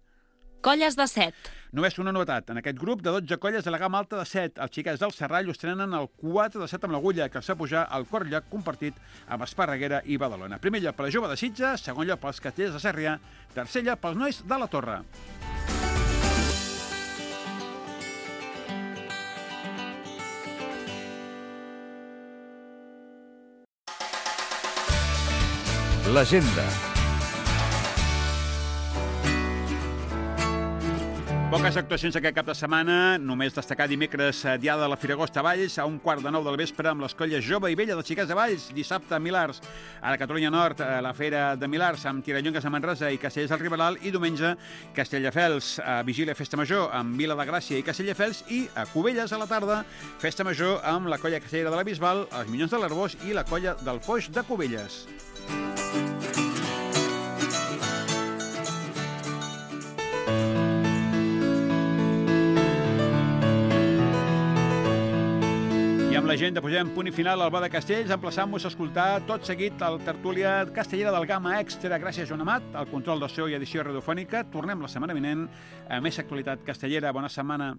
Colles de 7. Només una novetat. En aquest grup de 12 colles de la gamma alta de 7, els Xiquets del Serrallo estrenen el 4 de 7 amb l'Agulla, que els fa pujar al quart lloc compartit amb Esparreguera i Badalona. Primer lloc per la jove de Sitges, segon lloc pels castellers de Sarrià, tercer lloc pels nois de la Torre. L'agenda. Poques actuacions aquest cap de setmana, només destacar dimecres diada de la Firagosta a Valls, a 8:45 del vespre amb les colles jove i vella dels Xiquets de Valls, dissabte a Milars, a la Catalunya Nord, a la Fera de Milars, amb Tirallongues a Manresa i Castellers del Riberal, i diumenge Castelldefels, a Vigília Festa Major amb Vila de Gràcia i Castelldefels, i a Cubelles a la tarda, Festa Major amb la colla castellera de la Bisbal, els Minyons de l'Arbós i la colla del Foix de Cubelles. Amb l'agenda posem punt i final al Bar de Castells, emplaçant-vos a escoltar tot seguit el tertúlia castellera del Gamma Extra. Gràcies, Joan Amat, al control de so i edició radiofònica. Tornem la setmana vinent a més actualitat castellera. Bona setmana.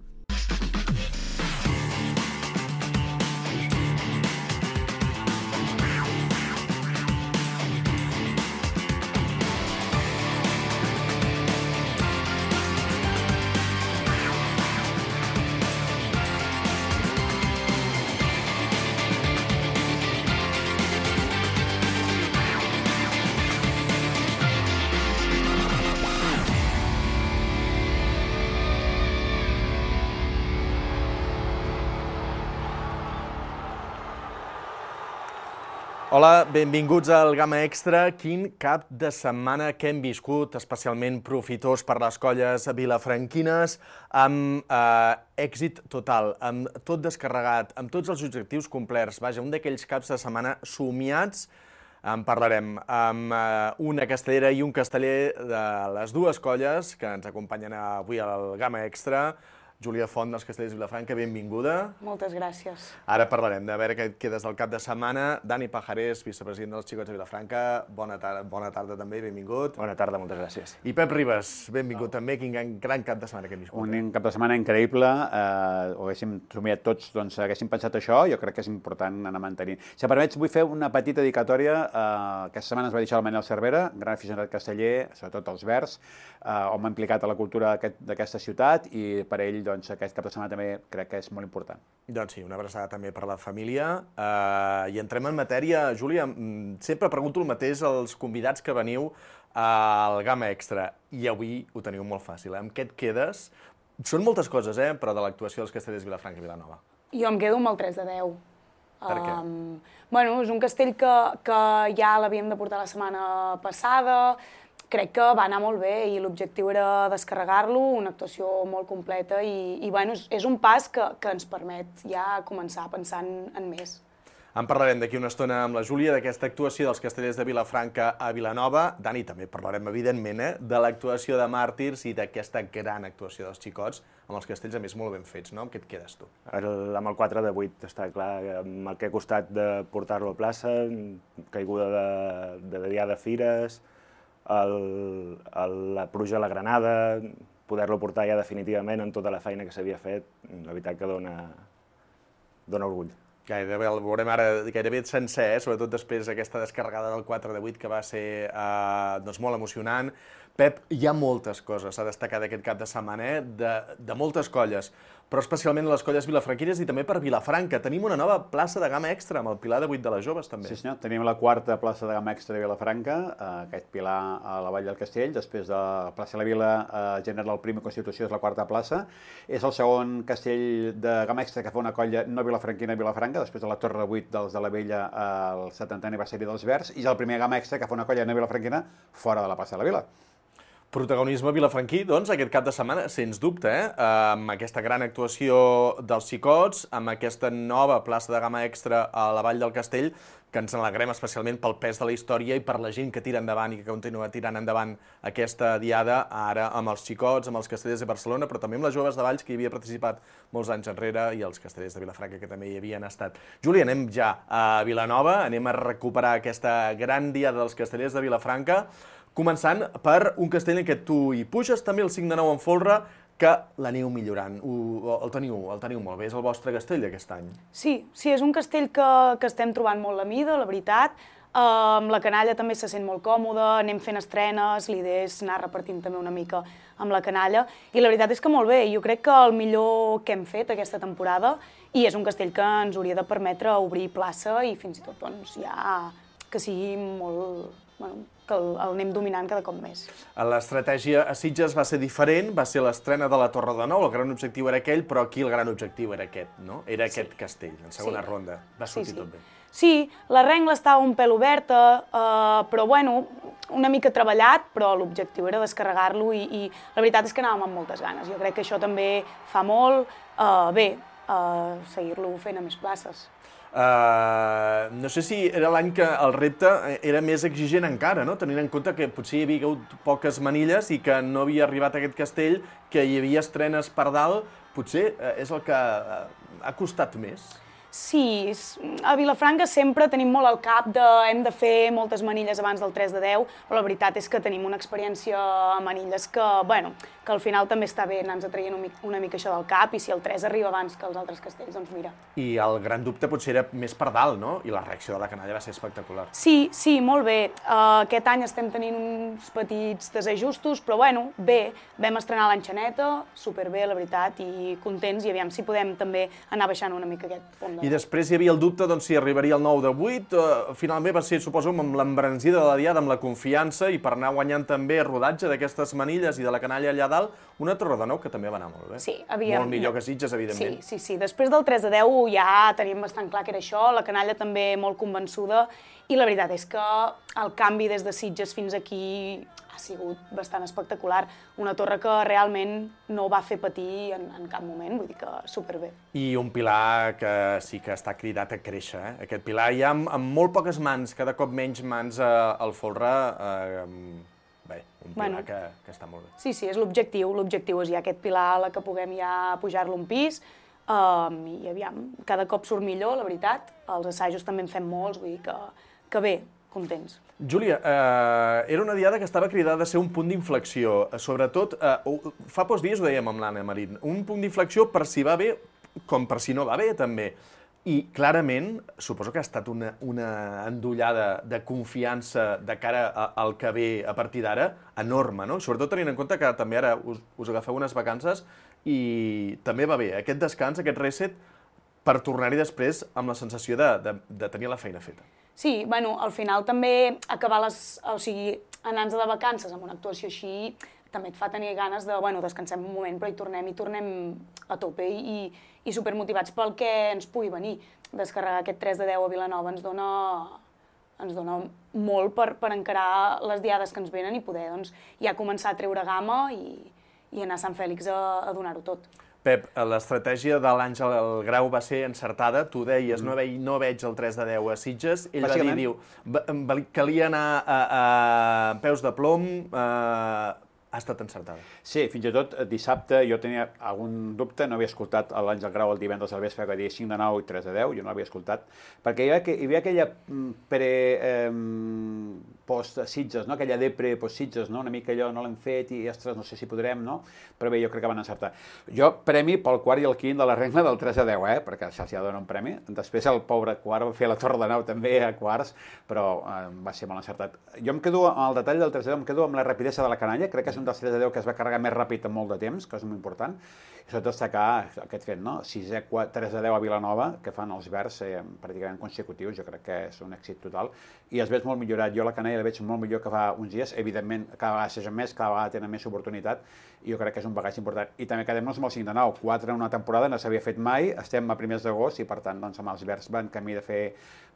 Hola, benvinguts al Gamma Extra. Quin cap de setmana que hem viscut, especialment profitós per les colles vilafranquines, amb èxit total, amb tot descarregat, amb tots els objectius complerts. Vaja, un d'aquells caps de setmana somiats, en parlarem amb una castellera i un casteller de les dues colles que ens acompanyen avui al Gamma Extra. Júlia Font, dels Castellers de Vilafranca, benvinguda. Moltes gràcies. Ara parlarem de veure què et quedes del cap de setmana. Dani Pajarés, vicepresident dels Xicots de Vilafranca, bona tarda també, benvingut. Bona tarda, moltes gràcies. I Pep Ribas, benvingut també, quin gran cap de setmana que hem viscut. Un cap de setmana increïble, ho haguéssim somiat tots, doncs haguéssim pensat això, jo crec que és important anar mantenint. Si em permets, vull fer una petita dedicatòria. Aquesta setmana ens va deixar el Manel Cervera, gran aficionat casteller, sobretot als Verds, on m'ha implicat a la cultura d'aquesta ciutat, i per ell doncs, aquest cap de setmana també crec que és molt important. Doncs sí, una abraçada també per la família. I entrem en matèria. Júlia, sempre pregunto el mateix als convidats que veniu al Gamma Extra, i avui ho teniu molt fàcil. Amb què et quedes? Són moltes coses, però de l'actuació dels Castellers de Vilafranca i Vilanova. Jo em quedo amb el 3 de 10. Per què? Bueno, és un castell que ja l'havíem de portar la setmana passada. Crec que va anar molt bé i l'objectiu era descarregar-lo, una actuació molt completa i bueno, és un pas que ens permet ja començar pensant en més. En parlarem d'aquí una estona amb la Júlia d'aquesta actuació dels Castellers de Vilafranca a Vilanova. Dani, també parlarem, evidentment, de l'actuació de Màrtirs i d'aquesta gran actuació dels Xicots, amb els castells, a més, molt ben fets, no? Amb què et quedes tu? Amb el 4 de 8, està clar, amb el que ha costat de portar-lo a plaça, caiguda de Dià de Fires, la pluja a la Granada, poder-lo portar ja definitivament en tota la feina que s'havia fet, la veritat que dona orgull. Gairebé el veurem ara gairebé sencer, sobretot després d'aquesta descarregada del 4 de 8, que va ser molt emocionant. Pep, hi ha moltes coses a destacar d'aquest cap de setmana, de moltes colles, però especialment les colles vilafranquines i també per Vilafranca. Tenim una nova plaça de gamma extra, amb el Pilar de 8 de les Joves, també. Sí, senyor. Tenim la quarta plaça de gamma extra de Vilafranca, aquest pilar a la Vall del Castell. Després de la plaça de la Vila, General Prima Constitució és la quarta plaça. És el segon castell de gamma extra que fa una colla no vilafranquina a Vilafranca, després de la Torre 8 dels de la Vella al 70è aniversari dels Verds, i és el primer gamma extra que fa una colla no vilafranquina fora de la plaça de la Vila. Protagonisme vilafranquí, doncs, aquest cap de setmana, sens dubte, amb aquesta gran actuació dels Xicots, amb aquesta nova plaça de gamma extra a la Vall del Castell, que ens n'alegrem especialment pel pes de la història i per la gent que tira endavant i que continua tirant endavant aquesta diada, ara amb els Xicots, amb els Castellers de Barcelona, però també amb les Joves de Valls, que hi havia participat molts anys enrere, i els Castellers de Vilafranca, que també hi havien estat. Júlia, anem ja a Vilanova, anem a recuperar aquesta gran diada dels Castellers de Vilafranca, començant per un castell en què tu hi puges també el 5 de 9 en folre, que l'aneu millorant, el teniu molt bé, és el vostre castell d'aquest any. Sí, és un castell que estem trobant molt la mida, la veritat. Amb la canalla també se sent molt còmode, anem fent estrenes, l'idea és anar repartint també una mica amb la canalla, i la veritat és que molt bé, jo crec que el millor que hem fet aquesta temporada, i és un castell que ens hauria de permetre obrir plaça i fins i tot doncs, ja que sigui molt... que el anem dominant cada cop més. L'estratègia a Sitges va ser diferent, va ser l'estrena de la Torre de Nou, el gran objectiu era aquell, però aquí el gran objectiu era aquest, no? Era aquest castell, en segona ronda. Va sortir tot bé. Sí, la rengla estava un pèl oberta, però bueno, una mica treballat, però l'objectiu era descarregar-lo i la veritat és que anàvem amb moltes ganes. Jo crec que això també fa molt bé, seguir-lo fent a més places. No sé si era l'any que el repte era més exigent encara, no? Tenint en compte que potser hi havia hagut poques manilles i que no havia arribat a aquest castell, que hi havia estrenes per dalt, potser és el que ha costat més. Sí, a Vilafranca sempre tenim molt al cap de hem de fer moltes manilles abans del 3 de 10, però la veritat és que tenim una experiència a manilles que, bueno, que al final també està bé anar-nos traient una mica això del cap, i si el 3 arriba abans que els altres castells, doncs mira. I el gran dubte potser era més per dalt, no? I la reacció de la canalla va ser espectacular. Sí, molt bé. Aquest any estem tenint uns petits desajustos, però bueno, bé, vam estrenar l'enxaneta, superbé, la veritat, i contents, i aviam si podem també anar baixant una mica aquest pont. I després hi havia el dubte si arribaria el 9 de 8, finalment va ser, suposo, amb l'embranzida de la diada, amb la confiança, i per anar guanyant també rodatge d'aquestes manilles i de la canalla allà dalt, final, una Torredemeu que també va anar molt bé. Sí, molt millor que Sitges, evidentment. Sí. Després del 3-10 ja teníem bastant clar que era això, la canalla també molt convençuda, i la veritat és que el canvi des de Sitges fins aquí ha sigut bastant espectacular. Una torre que realment no va fer patir en cap moment, vull dir que superbé. I un Pilar que sí que està cridat a créixer. Aquest Pilar ja amb molt poques mans, cada cop menys mans al folre, bé, un Pilar que està molt bé. Sí, és l'objectiu. L'objectiu és ja aquest Pilar a la que puguem ja pujar-lo un pis, i aviam, cada cop surt millor, la veritat. Els assajos també en fem molts, vull dir que bé, contents. Júlia, era una diada que estava cridada a ser un punt d'inflexió. Sobretot, fa pocs dies ho dèiem amb l'Anna Marín, un punt d'inflexió per si va bé com per si no va bé, també. I clarament, suposo que ha estat una endollada de confiança de cara al que ve a partir d'ara enorme, no? Sobretot tenint en compte que també ara us agafeu unes vacances i també va bé aquest descans, aquest reset, per tornar-hi després amb la sensació de tenir la feina feta. Sí, al final també acabar anar-nos de vacances amb una actuació així també et fa tenir ganes de, descansem un moment, però hi tornem a tope i supermotivats pel que ens pugui venir. Descarregar aquest 3-10 a Vilanova ens dona molt per encarar les diades que ens venen i poder ja començar a treure gamma i anar a Sant Fèlix a donar-ho tot. Pep, l'estratègia de l'Àngel Grau va ser encertada. Tu deies, no veig el 3-10 a Sitges. Ell va dir, calia anar a peus de plom, ha estat encertada. Sí, fins i tot dissabte jo tenia algun dubte, no havia escoltat l'Àngel Grau el divendres al vespre que deia 5-9 i 3-10, jo no l'havia escoltat, perquè hi havia aquella post-Sitges, no? Aquella depre post-Sitges, no? Una mica allò no l'hem fet i, ostres, no sé si podrem, no? Però bé, jo crec que van encertar. Jo, premi pel quart i el quint de la regla del 3-10, perquè se'ls ha de donar un premi. Després el pobre quart va fer la Torredemeu també a quarts, però va ser molt encertat. Jo em quedo amb el detall del 3-10, em quedo amb la rapidesa de la canalla, crec que és un dels 3-10 que es va carregar més ràpid en molt de temps, que és molt important, i sobretot destacar aquest fet, no? 3-10 a Vilanova, que fan els verds pràcticament consecutius, jo crec que és un èxit total, i es veig molt millorat. Jo la canalla la veig molt millor que fa uns dies, evidentment cada vegada s'aixen més, cada vegada tenen més oportunitat, i jo crec que és un bagatge important. I també quedem-nos amb el 5-9, 4 en una temporada no s'havia fet mai, estem a primers d'agost i per tant amb els verds van camí de fer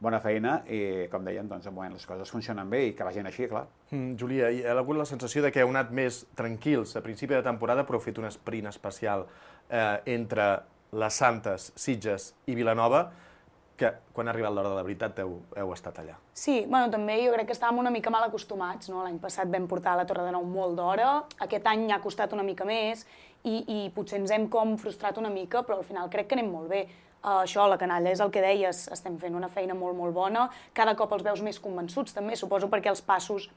bona feina i com dèiem, les coses funcionen bé i que vagin així, clar. Júlia, hi ha hagut la sensació que heu anat més tranquils a principi de temporada, però heu fet un sprint especial entre les Santes, Sitges i Vilanova, que quan ha arribat l'hora de la veritat heu estat allà. Sí, també jo crec que estàvem una mica mal acostumats, no? L'any passat vam portar la Torredemeu molt d'hora, aquest any ha costat una mica més i potser ens hem frustrat una mica, però al final crec que anem molt bé. Això, la canalla, és el que deies, estem fent una feina molt, molt bona, cada cop els veus més convençuts també, suposo perquè els passos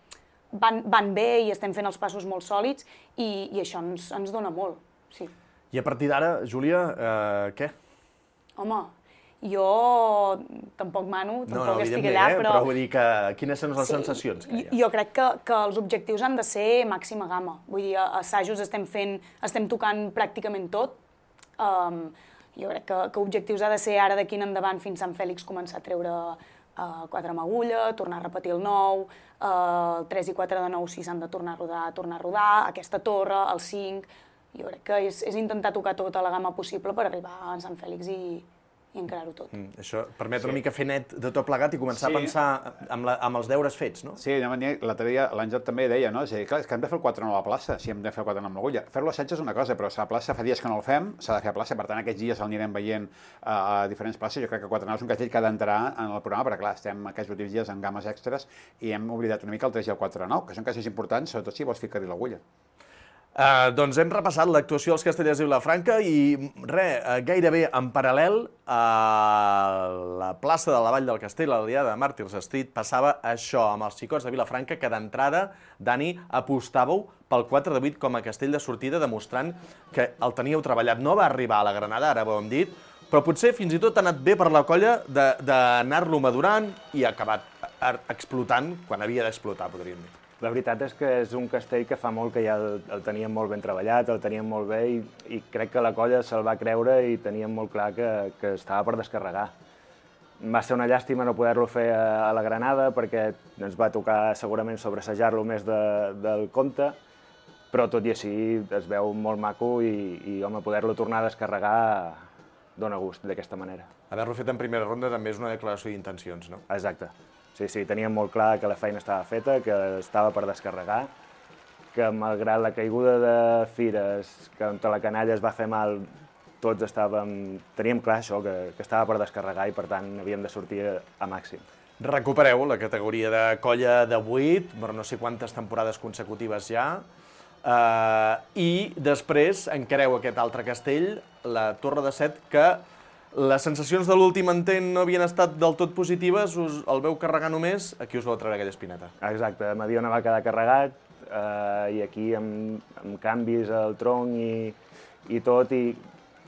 van bé i estem fent els passos molt sòlids i això ens dona molt, sí. I a partir d'ara, Júlia, què? Home, jo tampoc mano, tampoc estic allà, però vull dir que quines són les sensacions que hi ha? Jo crec que els objectius han de ser màxima gamma. Vull dir, a assajos estem tocant pràcticament tot. Jo crec que objectius ha de ser ara d'aquí en endavant fins a Sant Fèlix començar a treure 4 amb agulla, tornar a repetir el 9, el 3 i 4 de 9 si s'han de tornar a rodar, aquesta torre, el 5... Jo crec que és intentar tocar tota la gamma possible per arribar a Sant Fèlix i encarar-ho tot. Això permet una mica fer net de tot plegat i començar a pensar amb els deures fets, no? Sí, l'altre dia l'Àngel també deia, no? És a dir, clar, és que hem de fer el 4-9 a la plaça, si hem de fer el 4-9 amb l'agulla. Fer-lo a assaig és una cosa, però a la plaça fa dies que no el fem, s'ha de fer a plaça, per tant aquests dies l'anirem veient a diferents places. Jo crec que 4-9 és un castell que ha d'entrar en el programa, perquè clar, estem aquests últims dies en gammes extres i hem oblidat una mica el 3 i el 4-9, que són castells importants, sobretot si vols ficar-hi l'agulla. Doncs hem repassat l'actuació dels Castellers i Vilafranca i gairebé en paral·lel a la plaça de la Vall del Castell, a la Diada de Màrtirs Street, passava això amb els xicots de Vilafranca, que d'entrada, Dani, apostàveu pel 4-8 com a castell de sortida, demostrant que el teníeu treballat. No va arribar a la Granada, ara ho hem dit, però potser fins i tot ha anat bé per la colla d'anar-lo madurant i ha acabat explotant quan havia d'explotar, podríem dir. La veritat és que és un castell que fa molt que ja el teníem molt ben treballat, el teníem molt bé i crec que la colla se'l va creure i teníem molt clar que estava per descarregar. Va ser una llàstima no poder-lo fer a la Granada perquè ens va tocar segurament sobresejar-lo més del compte, però tot i així es veu molt maco i home, poder-lo tornar a descarregar dona gust d'aquesta manera. Haver-lo fet en primera ronda també és una declaració d'intencions, no? Exacte. Sí, teníem molt clar que la feina estava feta, que estava per descarregar, que malgrat la caiguda de Fires, que on la canalla es va fer mal, tots teníem clar això, que estava per descarregar i per tant havíem de sortir a màxim. Recupereu la categoria de colla de 8, per no sé quantes temporades consecutives ja, i després encareu aquest altre castell, la Torre de Set, que les sensacions de l'últim intent no havien estat del tot positives, us el veu carregar només, aquí us vau treure aquella espineta. Exacte, Mediona va quedar carregat, i aquí amb canvis al tronc i tot, i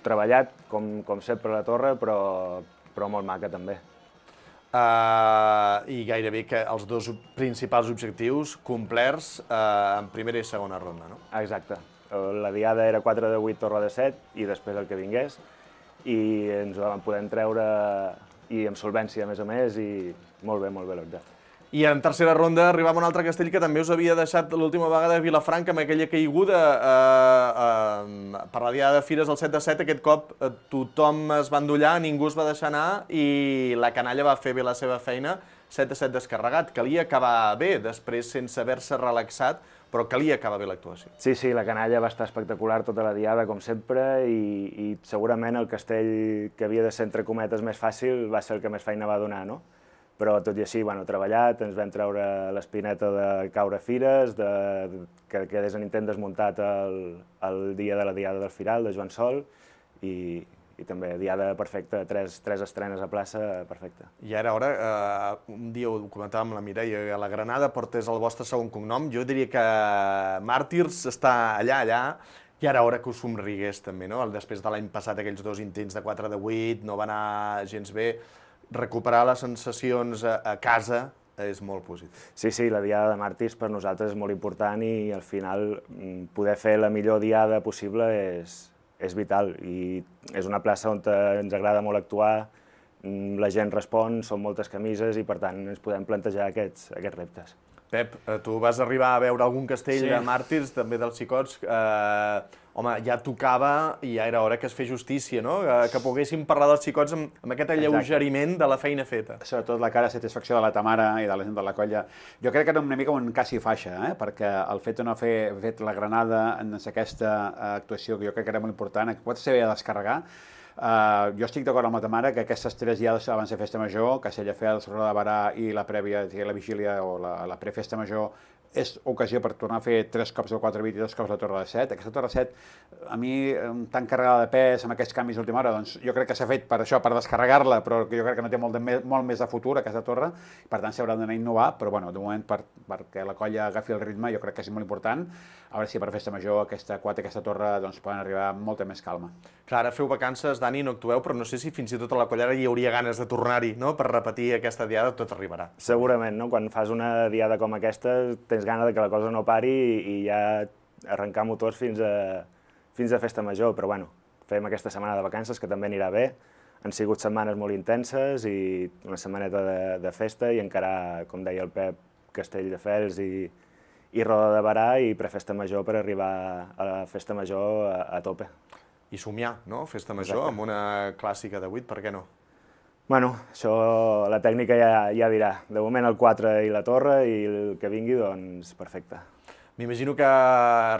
treballat, com sempre a la torre, però molt maca també. I gairebé que els dos principals objectius complerts en primera i segona ronda, no? Exacte. La diada era 4 de 8, Torre de 7, i després el que vingués, i ens ho vam poder treure i amb solvència, a més, i molt bé l'objecte. I en tercera ronda arribava un altre castell que també us havia deixat l'última vegada a Vilafranca amb aquella caiguda per la diada de Fires, el 7 de 7. Aquest cop tothom es va endollar, ningú es va deixar anar i la canalla va fer bé la seva feina, 7 de 7 descarregat. Calia acabar bé, després sense haver-se relaxat, però calia acabar bé l'actuació. Sí, la canalla va estar espectacular tota la diada, com sempre, i segurament el castell que havia de ser, entre cometes, més fàcil va ser el que més feina va donar, no? Però tot i així, treballat, ens vam treure l'espineta de caure Fires, que quedés en intent desmuntat el dia de la diada del Firal, de Joan Sol, i també diada perfecta, tres estrenes a plaça, perfecta. I ara, un dia ho comentàvem amb la Mireia, a la Granada portés el vostre segon cognom, jo diria que Màrtirs està allà, i ara hora que us somrigués també, no? Després de l'any passat, aquells dos intents de 4 de 8, no va anar gens bé, recuperar les sensacions a casa és molt positiu. Sí, la diada de Màrtirs per nosaltres és molt important i al final poder fer la millor diada possible és vital i és una plaça on ens agrada molt actuar, la gent respon, són moltes camises i per tant ens podem plantejar aquests reptes. Pep, tu vas arribar a veure algun castell de Màrtirs, també dels Xicots. Home, ja tocava i ja era hora que es fes justícia, no? Que poguéssim parlar dels Xicots amb aquest alleugeriment de la feina feta. Sobretot la cara de satisfacció de la Tamara i de la gent de la colla. Jo crec que era una mica un cas i faixa, perquè el fet de no haver fet la Granada en aquesta actuació, que jo crec que era molt important, que pot ser bé de descarregar. Jo estic d'acord amb la Tamara que aquestes 3 diades abans de Festa Major, Castelldefels, Roda de Barà i la prèvia, la vigília o la prefesta major, és ocasió per tornar a fer 3 cops el 4-8 i 2 cops la Torre de 7. Aquesta Torre de 7, a mi, tan carregada de pes, amb aquests canvis d'última hora, doncs jo crec que s'ha fet per això, per descarregar-la, però jo crec que no té molt més de futur, aquesta torre, per tant s'haurà d'anar a innovar, però bueno, de moment, perquè la colla agafi el ritme, jo crec que és molt important. A veure si per Festa Major aquesta torre doncs, poden arribar amb molta més calma. Clar, ara feu vacances, Dani, no actueu, però no sé si fins i tot a la collera hi hauria ganes de tornar-hi, no?, per repetir aquesta diada, tot arribarà. Segurament, no? Quan fas una diada com aquesta, tens gana que la cosa no pari i ja arrencar motors fins a Festa Major, però bueno, fem aquesta setmana de vacances que també anirà bé. Han sigut setmanes molt intenses i una setmaneta de festa i encara, com deia el Pep, Castelldefels i Roda de Barà i prefesta major per arribar a la Festa Major a tope. I somiar, no?, Festa Major, amb una clàssica de 8, per què no? Bueno, això la tècnica ja dirà. De moment el 4 i la torre i el que vingui, doncs, perfecte. M'imagino que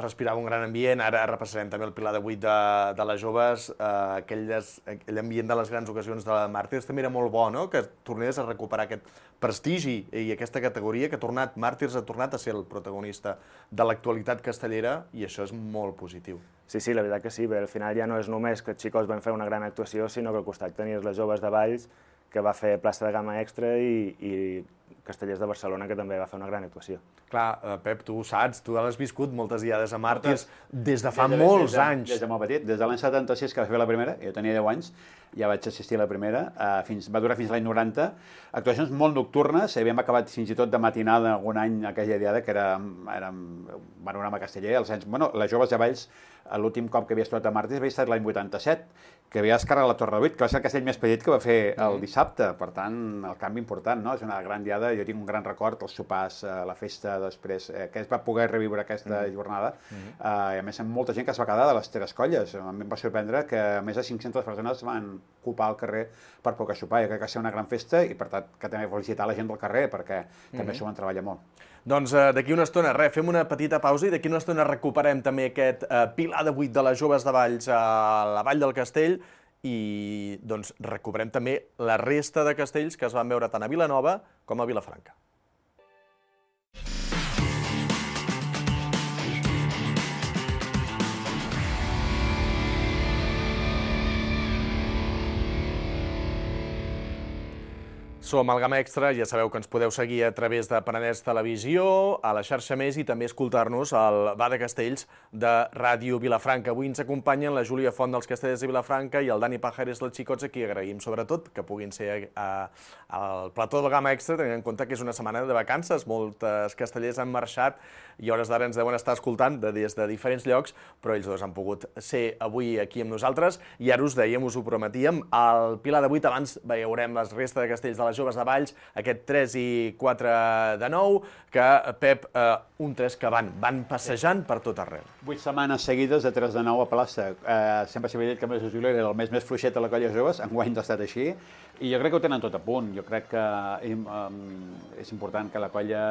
respirava un gran ambient, ara repassarem també el pilar de 8 de les joves, aquell ambient de les grans ocasions de Màrtirs també era molt bo, no?, que tornés a recuperar aquest prestigi i aquesta categoria que Màrtirs ha tornat a ser el protagonista de l'actualitat castellera i això és molt positiu. Sí, la veritat que sí, bé, al final ja no és només que els Xicots van fer una gran actuació, sinó que al costat tenies les joves de Valls, que va fer plaça de gamma extra i Castellers de Barcelona, que també va fer una gran actuació. Clar, Pep, tu ho saps, tu l'has viscut moltes diades a Màrtirs des de fa molts anys. Des de molt petit, des de l'any 76 que va fer la primera, jo tenia 10 anys, ja vaig assistir a la primera, va durar fins a l'any 90, actuacions molt nocturnes, havíem acabat fins i tot de matinada algun any aquella diada, que era panorama casteller, les joves de Valls, l'últim cop que havia estat a Màrtirs havia estat l'any 87, que havia descarregat la Torre de 8, que va ser el castell més petit que va fer el dissabte, per tant, el canvi important, no? És una gran diada diada. Jo tinc un gran record, els sopars, la festa després, que es va poder reviure aquesta jornada, i a més amb molta gent que es va quedar de les 3 colles. A mi em va sorprendre que més de 500 persones van ocupar el carrer per poder sopar. Jo crec que va ser una gran festa i per tant que també felicitar la gent del carrer perquè també s'ho van treballar molt. Doncs d'aquí una estona, fem una petita pausa i d'aquí una estona recuperem també aquest Pilar de 8 de les joves de Valls a la Vall del Castell i doncs recuperem també la resta de castells que es van veure tant a Vilanova com a Vilafranca. Som al Gamma Extra, ja sabeu que ens podeu seguir a través de Penedès Televisió, a la xarxa Més i també escoltar-nos al Bar de Castells de Ràdio Vilafranca. Avui ens acompanyen la Júlia Font dels Castellers de Vilafranca i el Dani Pajares dels Xicots, a qui agraïm sobretot que puguin ser al plató del Gamma Extra, tenint en compte que és una setmana de vacances, molts castellers han marxat i a hores d'ara ens deuen estar escoltant des de diferents llocs, però ells dos han pogut ser avui aquí amb nosaltres i ara us dèiem, us ho prometíem, al Pilar de 8 abans veurem la resta de castells de les joves de Valls, aquest 3 i 4 de 9, que, Pep, un 3 que van passejant per tot arreu. 8 setmanes seguides de 3 de 9 a plaça. Sempre s'havia dit que el mes de juliol era el mes més fluixet de la colla de joves, enguany ha estat així, i jo crec que ho tenen tot a punt. Jo crec que és important que la colla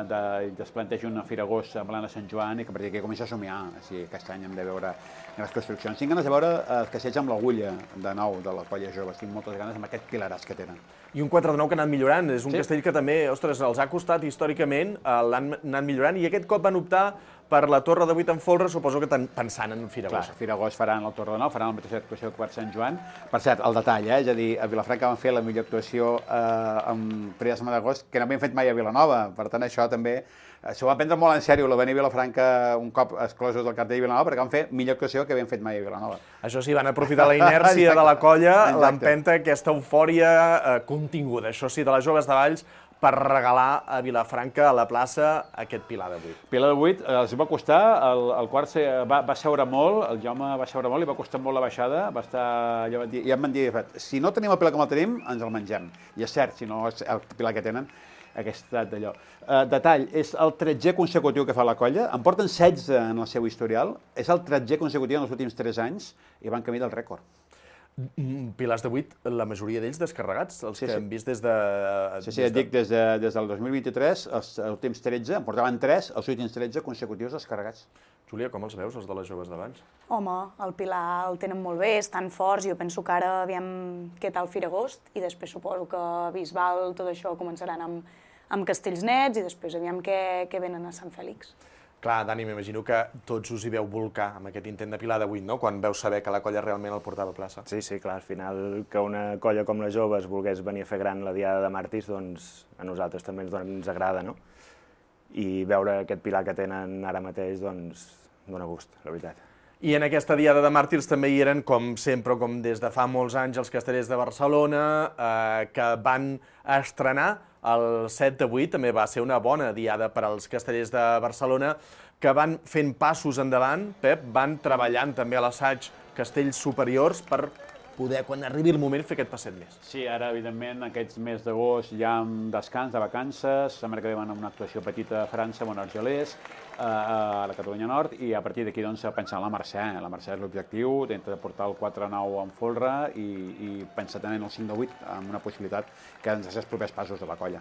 es plantegi una Fira Agost en plana Sant Joan i que a partir d'aquí comença a somiar. Aquest any hem de veure les construccions. Tinc ganes de veure els castells amb l'agulla de nou de la colla de joves. Tinc moltes ganes amb aquest pilaràs que tenen. I un 4 de 9 que ha anat millorant. És un castell que també, ostres, els ha costat històricament, l'han anat millorant i aquest cop van optar per la Torre de 8 en folre, suposo que pensant en Fira Agost. Clar, Fira Agost faran la Torre de 9, faran la mateixa actuació que Quart Sant Joan. Per cert, el detall, és a dir, a Vilafranca van fer la millor actuació en primera setmana d'agost que no havien fet mai a Vilanova. Per tant, això també s'ho va prendre molt en sèrio, la venir a Vilafranca un cop exclosos del cartell de Vilanova, perquè van fer millor actuació que havien fet mai a Vilanova. Això sí, van aprofitar la inèrcia de la colla, l'empenta, aquesta eufòria continguda, això sí, de les joves de Valls, per regalar a Vilafranca, a la plaça, aquest Pilar de 8. Pilar de 8 els va costar, el quart va seure molt, el Jaume va seure molt i va costar molt la baixada, va estar, ja em van dir, si no tenim el Pilar com el tenim, ens el mengem. I és cert, si no és el Pilar que tenen, aquest estat d'allò. Detall, és el 13è consecutiu que fa la colla, en porten 16 en el seu historial, és el 13è consecutiu en els últims 3 anys i van camí del rècord. Pilars de 8, la majoria d'ells descarregats, els que hem vist des de... Sí, et dic, des del 2023, els últims 13, en portaven 3, els últims 13 consecutius descarregats. Júlia, com els veus, els de les joves d'abans? Home, el Pilar el tenen molt bé, estan forts, jo penso que ara aviam què tal Fira Agost, i després suposo que Bisbal, tot això començaran amb castells nets, i després aviam què venen a Sant Fèlix. Clar, Dani, m'imagino que tots us hi veu volcar amb aquest intent de Pilar de 8, no?, quan veu saber que la colla realment el portava a plaça. Sí, clar, al final que una colla com les joves volgués venir a fer gran la Diada de Màrtirs, doncs a nosaltres també ens agrada, no? I veure aquest Pilar que tenen ara mateix, doncs, dona gust, la veritat. I en aquesta Diada de Màrtirs també hi eren, com sempre, com des de fa molts anys, els castellers de Barcelona, que van estrenar el 7 de 8, també va ser una bona diada per als castellers de Barcelona, que van fent passos endavant, Pep, van treballant també a l'assaig castells superiors per poder, quan arribi el moment, fer aquest passet més. Sí, ara, evidentment, aquests mes d'agost hi ha un descans de vacances, la setmana que ve van a una actuació petita a França, a Monargelers, a la Catalunya Nord, i a partir d'aquí, doncs, pensar en la Mercè. La Mercè és l'objectiu, d'intentar portar el 4-9 en folre i pensar també en el 5-8, amb una possibilitat que ens els propers passos de la colla.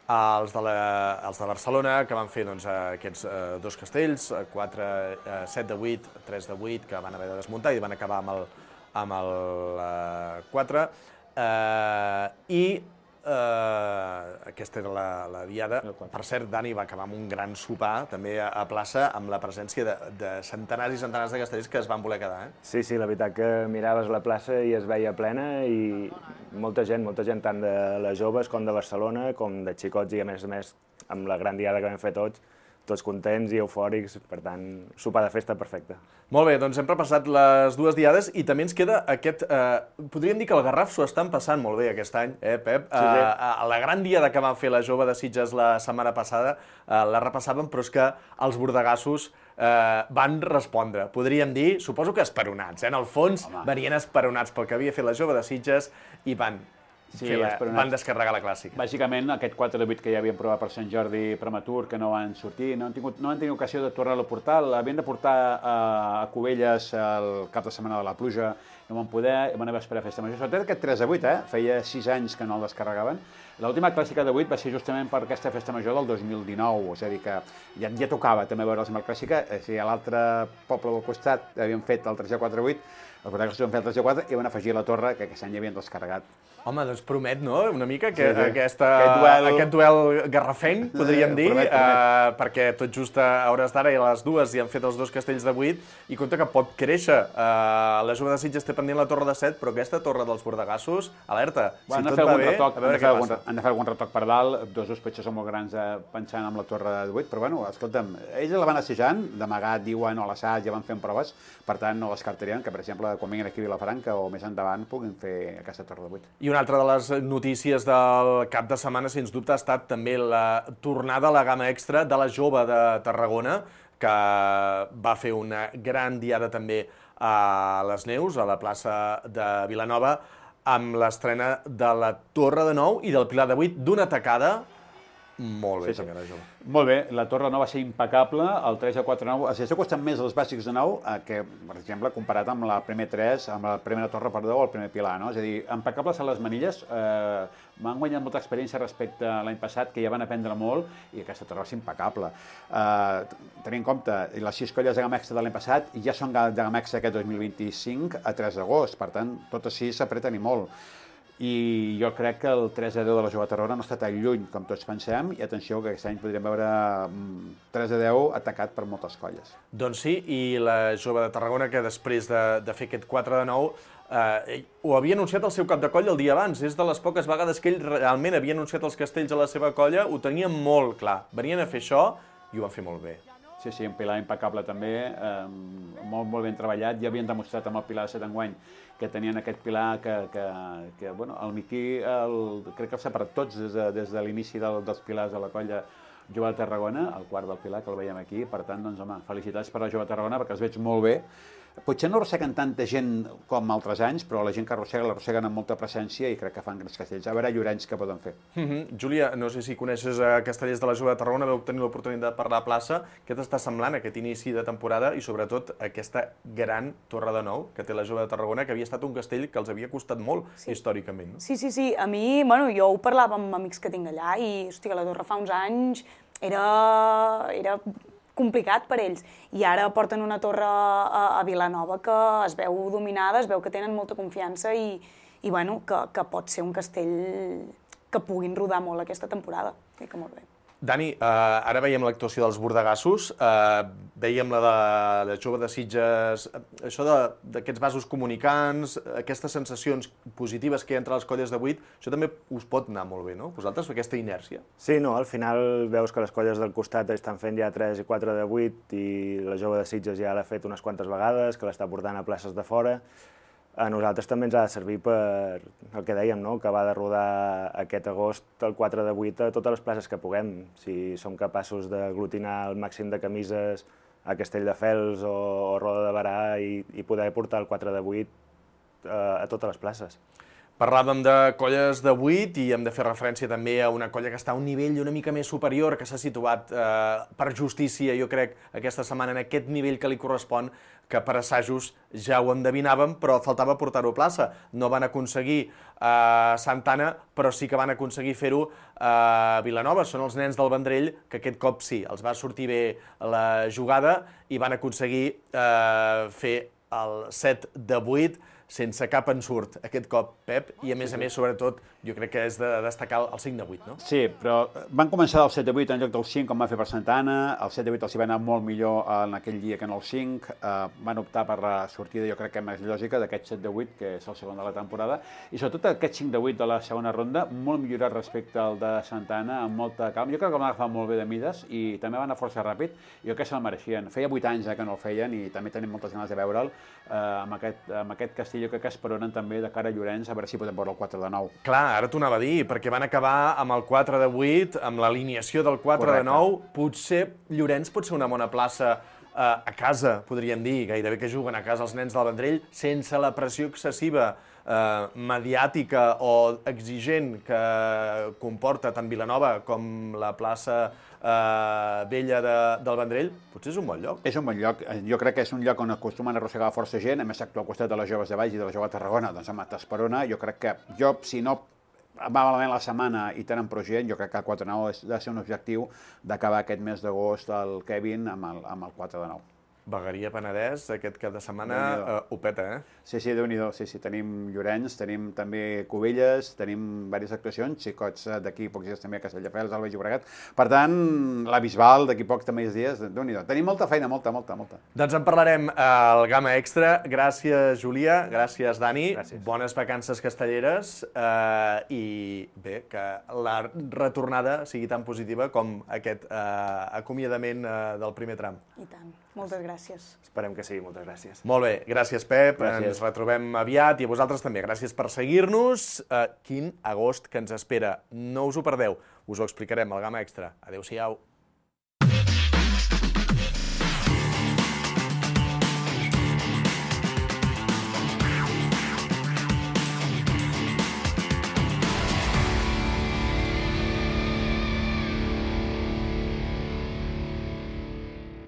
Els de Barcelona, que van fer aquests dos castells, 7 de 8, 3 de 8, que van haver de desmuntar i van acabar amb el 4, i aquesta era la diada. Per cert, Dani va acabar amb un gran sopar, també a plaça, amb la presència de centenars i centenars de castellers que es van voler quedar. Sí, la veritat que miraves la plaça i es veia plena i molta gent, tant de les joves com de Barcelona, com de xicots i a més, amb la gran diada que vam fer tots contents i eufòrics, per tant, sopar de festa perfecte. Molt bé, doncs hem repassat les dues diades i també ens queda aquest... Podríem dir que el Garraf s'ho estan passant molt bé aquest any, Pep? Sí. La gran diada que van fer la jove de Sitges la setmana passada la repassàvem, però és que els bordegassos van respondre. Podríem dir, suposo que esperonats, en el fons venien esperonats pel que havia fet la jove de Sitges i van van descarregar la clàssica. Bàsicament, aquest 4 de 8 que ja havien provat per Sant Jordi prematur, que no van sortir, no han tingut ocasió de tornar-lo a portar, l'havien de portar a Cubelles el cap de setmana de la pluja, no van poder, van haver d'esperar festa major. Sobretot aquest 3 de 8, feia 6 anys que no el descarregaven. L'última clàssica de 8 va ser justament per aquesta festa major del 2019, és a dir, que ja tocava també veure'ls amb la clàssica, si a l'altre poble del costat havien fet el 3 4 8, els protagonistes van fer el 3 4 i van afegir la torre, que aquest any havien descarregat. Home, doncs promet, no?, una mica aquest duel garrafenc, podríem dir, perquè tot just a hores d'ara i a les 2 hi han fet els 2 castells de 8 i compte que pot créixer. La Jove de Sitges té pendent la torre de 7, però aquesta torre dels Bordegassos, alerta, si tot va bé, a veure què passa. Han de fer algun retoc per dalt, dos potser són molt grans pensant en la torre de 8, però bueno, escolta'm, ells la van assajant, d'amagat, diuen, o a l'assaig, ja van fent proves, per tant no descartarien que, per exemple, quan vinguin aquí a Vilafranca o més endavant puguin fer aquesta torre de 8. I una altra de les notícies del cap de setmana, sens dubte, ha estat també la tornada a la gamma extra de la Jove de Tarragona, que va fer una gran diada també a les Neus, a la plaça de Vilanova, amb l'estrena de la Torre de 9 i del Pilar de 8 d'una tacada. Molt bé, senyora Jove. Molt bé, la torre no va ser impecable, el 3 a 4 9, això costen més els bàsics de 9 que, per exemple, comparat amb la primer 3, amb la primera torre, perdó, o el primer pilar, no? És a dir, impecables a les manilles, m'han guanyat molta experiència respecte a l'any passat, que ja van aprendre molt, i aquesta torre va ser impecable. Tenint en compte, les 6 colles de gamma extra de l'any passat ja són de gamma extra aquest 2025 a 3 d'agost, per tant, totes 6 s'apreten i molt. I jo crec que el 3 a 10 de la Jove de Tarragona no està tan lluny com tots pensem, i atenció que aquest any podríem veure 3 a 10 atacat per moltes colles. Doncs sí, i la Jove de Tarragona, que després de fer aquest 4 de 9, ho havia anunciat el seu cap de colla el dia abans. És de les poques vegades que ell realment havia anunciat els castells a la seva colla, ho tenia molt clar. Venien a fer això i ho van fer molt bé. Sí, un pilar impecable també, molt ben treballat. Ja havien demostrat amb el pilar de 7 enguany que tenien aquest pilar que bueno, el Miquí crec que els ha separat tots des de l'inici dels pilars de la colla Jove de Tarragona, el quart del pilar, que el veiem aquí. Per tant, doncs, home, felicitats per la Jove de Tarragona, perquè els veig molt bé. Potser no arrosseguen tanta gent com altres anys, però la gent que l'arrosseguen amb molta presència i crec que fan grans castells. A veure, Llorenç, què poden fer. Júlia, no sé si coneixes Castellers de la Jove de Tarragona, vau tenir l'oportunitat de parlar a plaça. Què t'està semblant aquest inici de temporada i, sobretot, aquesta gran Torre de 9 que té la Jove de Tarragona, que havia estat un castell que els havia costat molt històricament? Sí. A mi, jo ho parlava amb amics que tinc allà i, hòstia, la Torre fa uns anys era complicat per ells. I ara porten una torre a Vilanova que es veu dominada, es veu que tenen molta confiança i bueno, que pot ser un castell que puguin rodar molt aquesta temporada. Crec que molt bé. Dani, ara veiem l'actuació dels Bordegassos, veiem la de Jove de Sitges, això d'aquests vasos comunicants, aquestes sensacions positives que hi ha entre les colles de 8, això també us pot anar molt bé, no? Vosaltres, aquesta inèrcia? Sí, no, al final veus que les colles del costat estan fent ja 3 i 4 de 8 i la Jove de Sitges ja l'ha fet unes quantes vegades, que l'està portant a places de fora. A nosaltres també ens ha de servir per el que dèiem, no? Que va de rodar aquest agost el 4 de 8 a totes les places que puguem. Si som capaços d'aglutinar el màxim de camises a Castelldefels o Roda de Barà i poder portar el 4 de 8 a totes les places. Parlàvem de colles de 8 i hem de fer referència també a una colla que està a un nivell una mica més superior, que s'ha situat per justícia, jo crec, aquesta setmana en aquest nivell que li correspon, que per assajos ja ho endevinàvem, però faltava portar-ho a plaça. No van aconseguir Santa Anna, però sí que van aconseguir fer-ho a Vilanova. Són els nens del Vendrell, que aquest cop sí, els va sortir bé la jugada i van aconseguir fer el 7 de 8, sense cap ensurt aquest cop, Pep, i a més, sobretot, jo crec que és de destacar el 5 de 8, no? Sí, però van començar del 7 de 8 en lloc del 5, com va fer per Santa Anna, el 7 de 8 els hi va anar molt millor en aquell dia que en el 5, van optar per la sortida, jo crec que més lògica, d'aquest 7 de 8, que és el segon de la temporada, i sobretot aquest 5 de 8 de la segona ronda, molt millorat respecte al de Santa Anna, amb molta calma. Jo crec que van agafar molt bé de mides i també van anar força ràpid, i jo crec que se'l mereixien. Feia 8 anys que no el feien i també tenim moltes ganes de veure'l amb aquest castell. Jo crec que esperonen també de cara a Llorenç a veure si podem veure el 4 de 9. Clar, ara t'ho anava a dir, perquè van acabar amb el 4 de 8, amb l'alineació del 4 de 9. Potser Llorenç pot ser una bona plaça a casa, podríem dir, gairebé que juguen a casa els nens del Vendrell, sense la pressió excessiva mediàtica o exigent que comporta tant Vilanova com la plaça vella del Vendrell, potser és un bon lloc. És un bon lloc. Jo crec que és un lloc on acostumen a arrossegar força gent, a més actua al costat de les joves de Valls i de la jove de Tarragona, doncs amb Esperona. Jo crec que si no va malament la setmana i tenen prou gent, jo crec que el 4-9 ha de ser un objectiu d'acabar aquest mes d'agost el Kevin amb el 4-9. Vegueria Penedès, aquest cap de setmana ho peta, eh? Sí, Déu-n'hi-do. Sí, tenim Llorenç, tenim també Cubelles, tenim diverses actuacions, xicots d'aquí pocs dies també a Castelldefels, Alba i Llobregat. Per tant, la Bisbal d'aquí pocs també dies, Déu-n'hi-do. Tenim molta feina, molta. Doncs en parlarem al Gamma Extra. Gràcies, Júlia. Gràcies, Dani. Gràcies. Bones vacances castelleres i bé, que la retornada sigui tan positiva com aquest acomiadament del primer tram. I tant. Moltes gràcies. Esperem que sigui. Moltes gràcies. Molt bé. Gràcies, Pep. Gràcies. Ens retrobem aviat i a vosaltres també. Gràcies per seguir-nos. Quin agost que ens espera. No us ho perdeu. Us ho explicarem al Gamma Extra. Adéu-siau.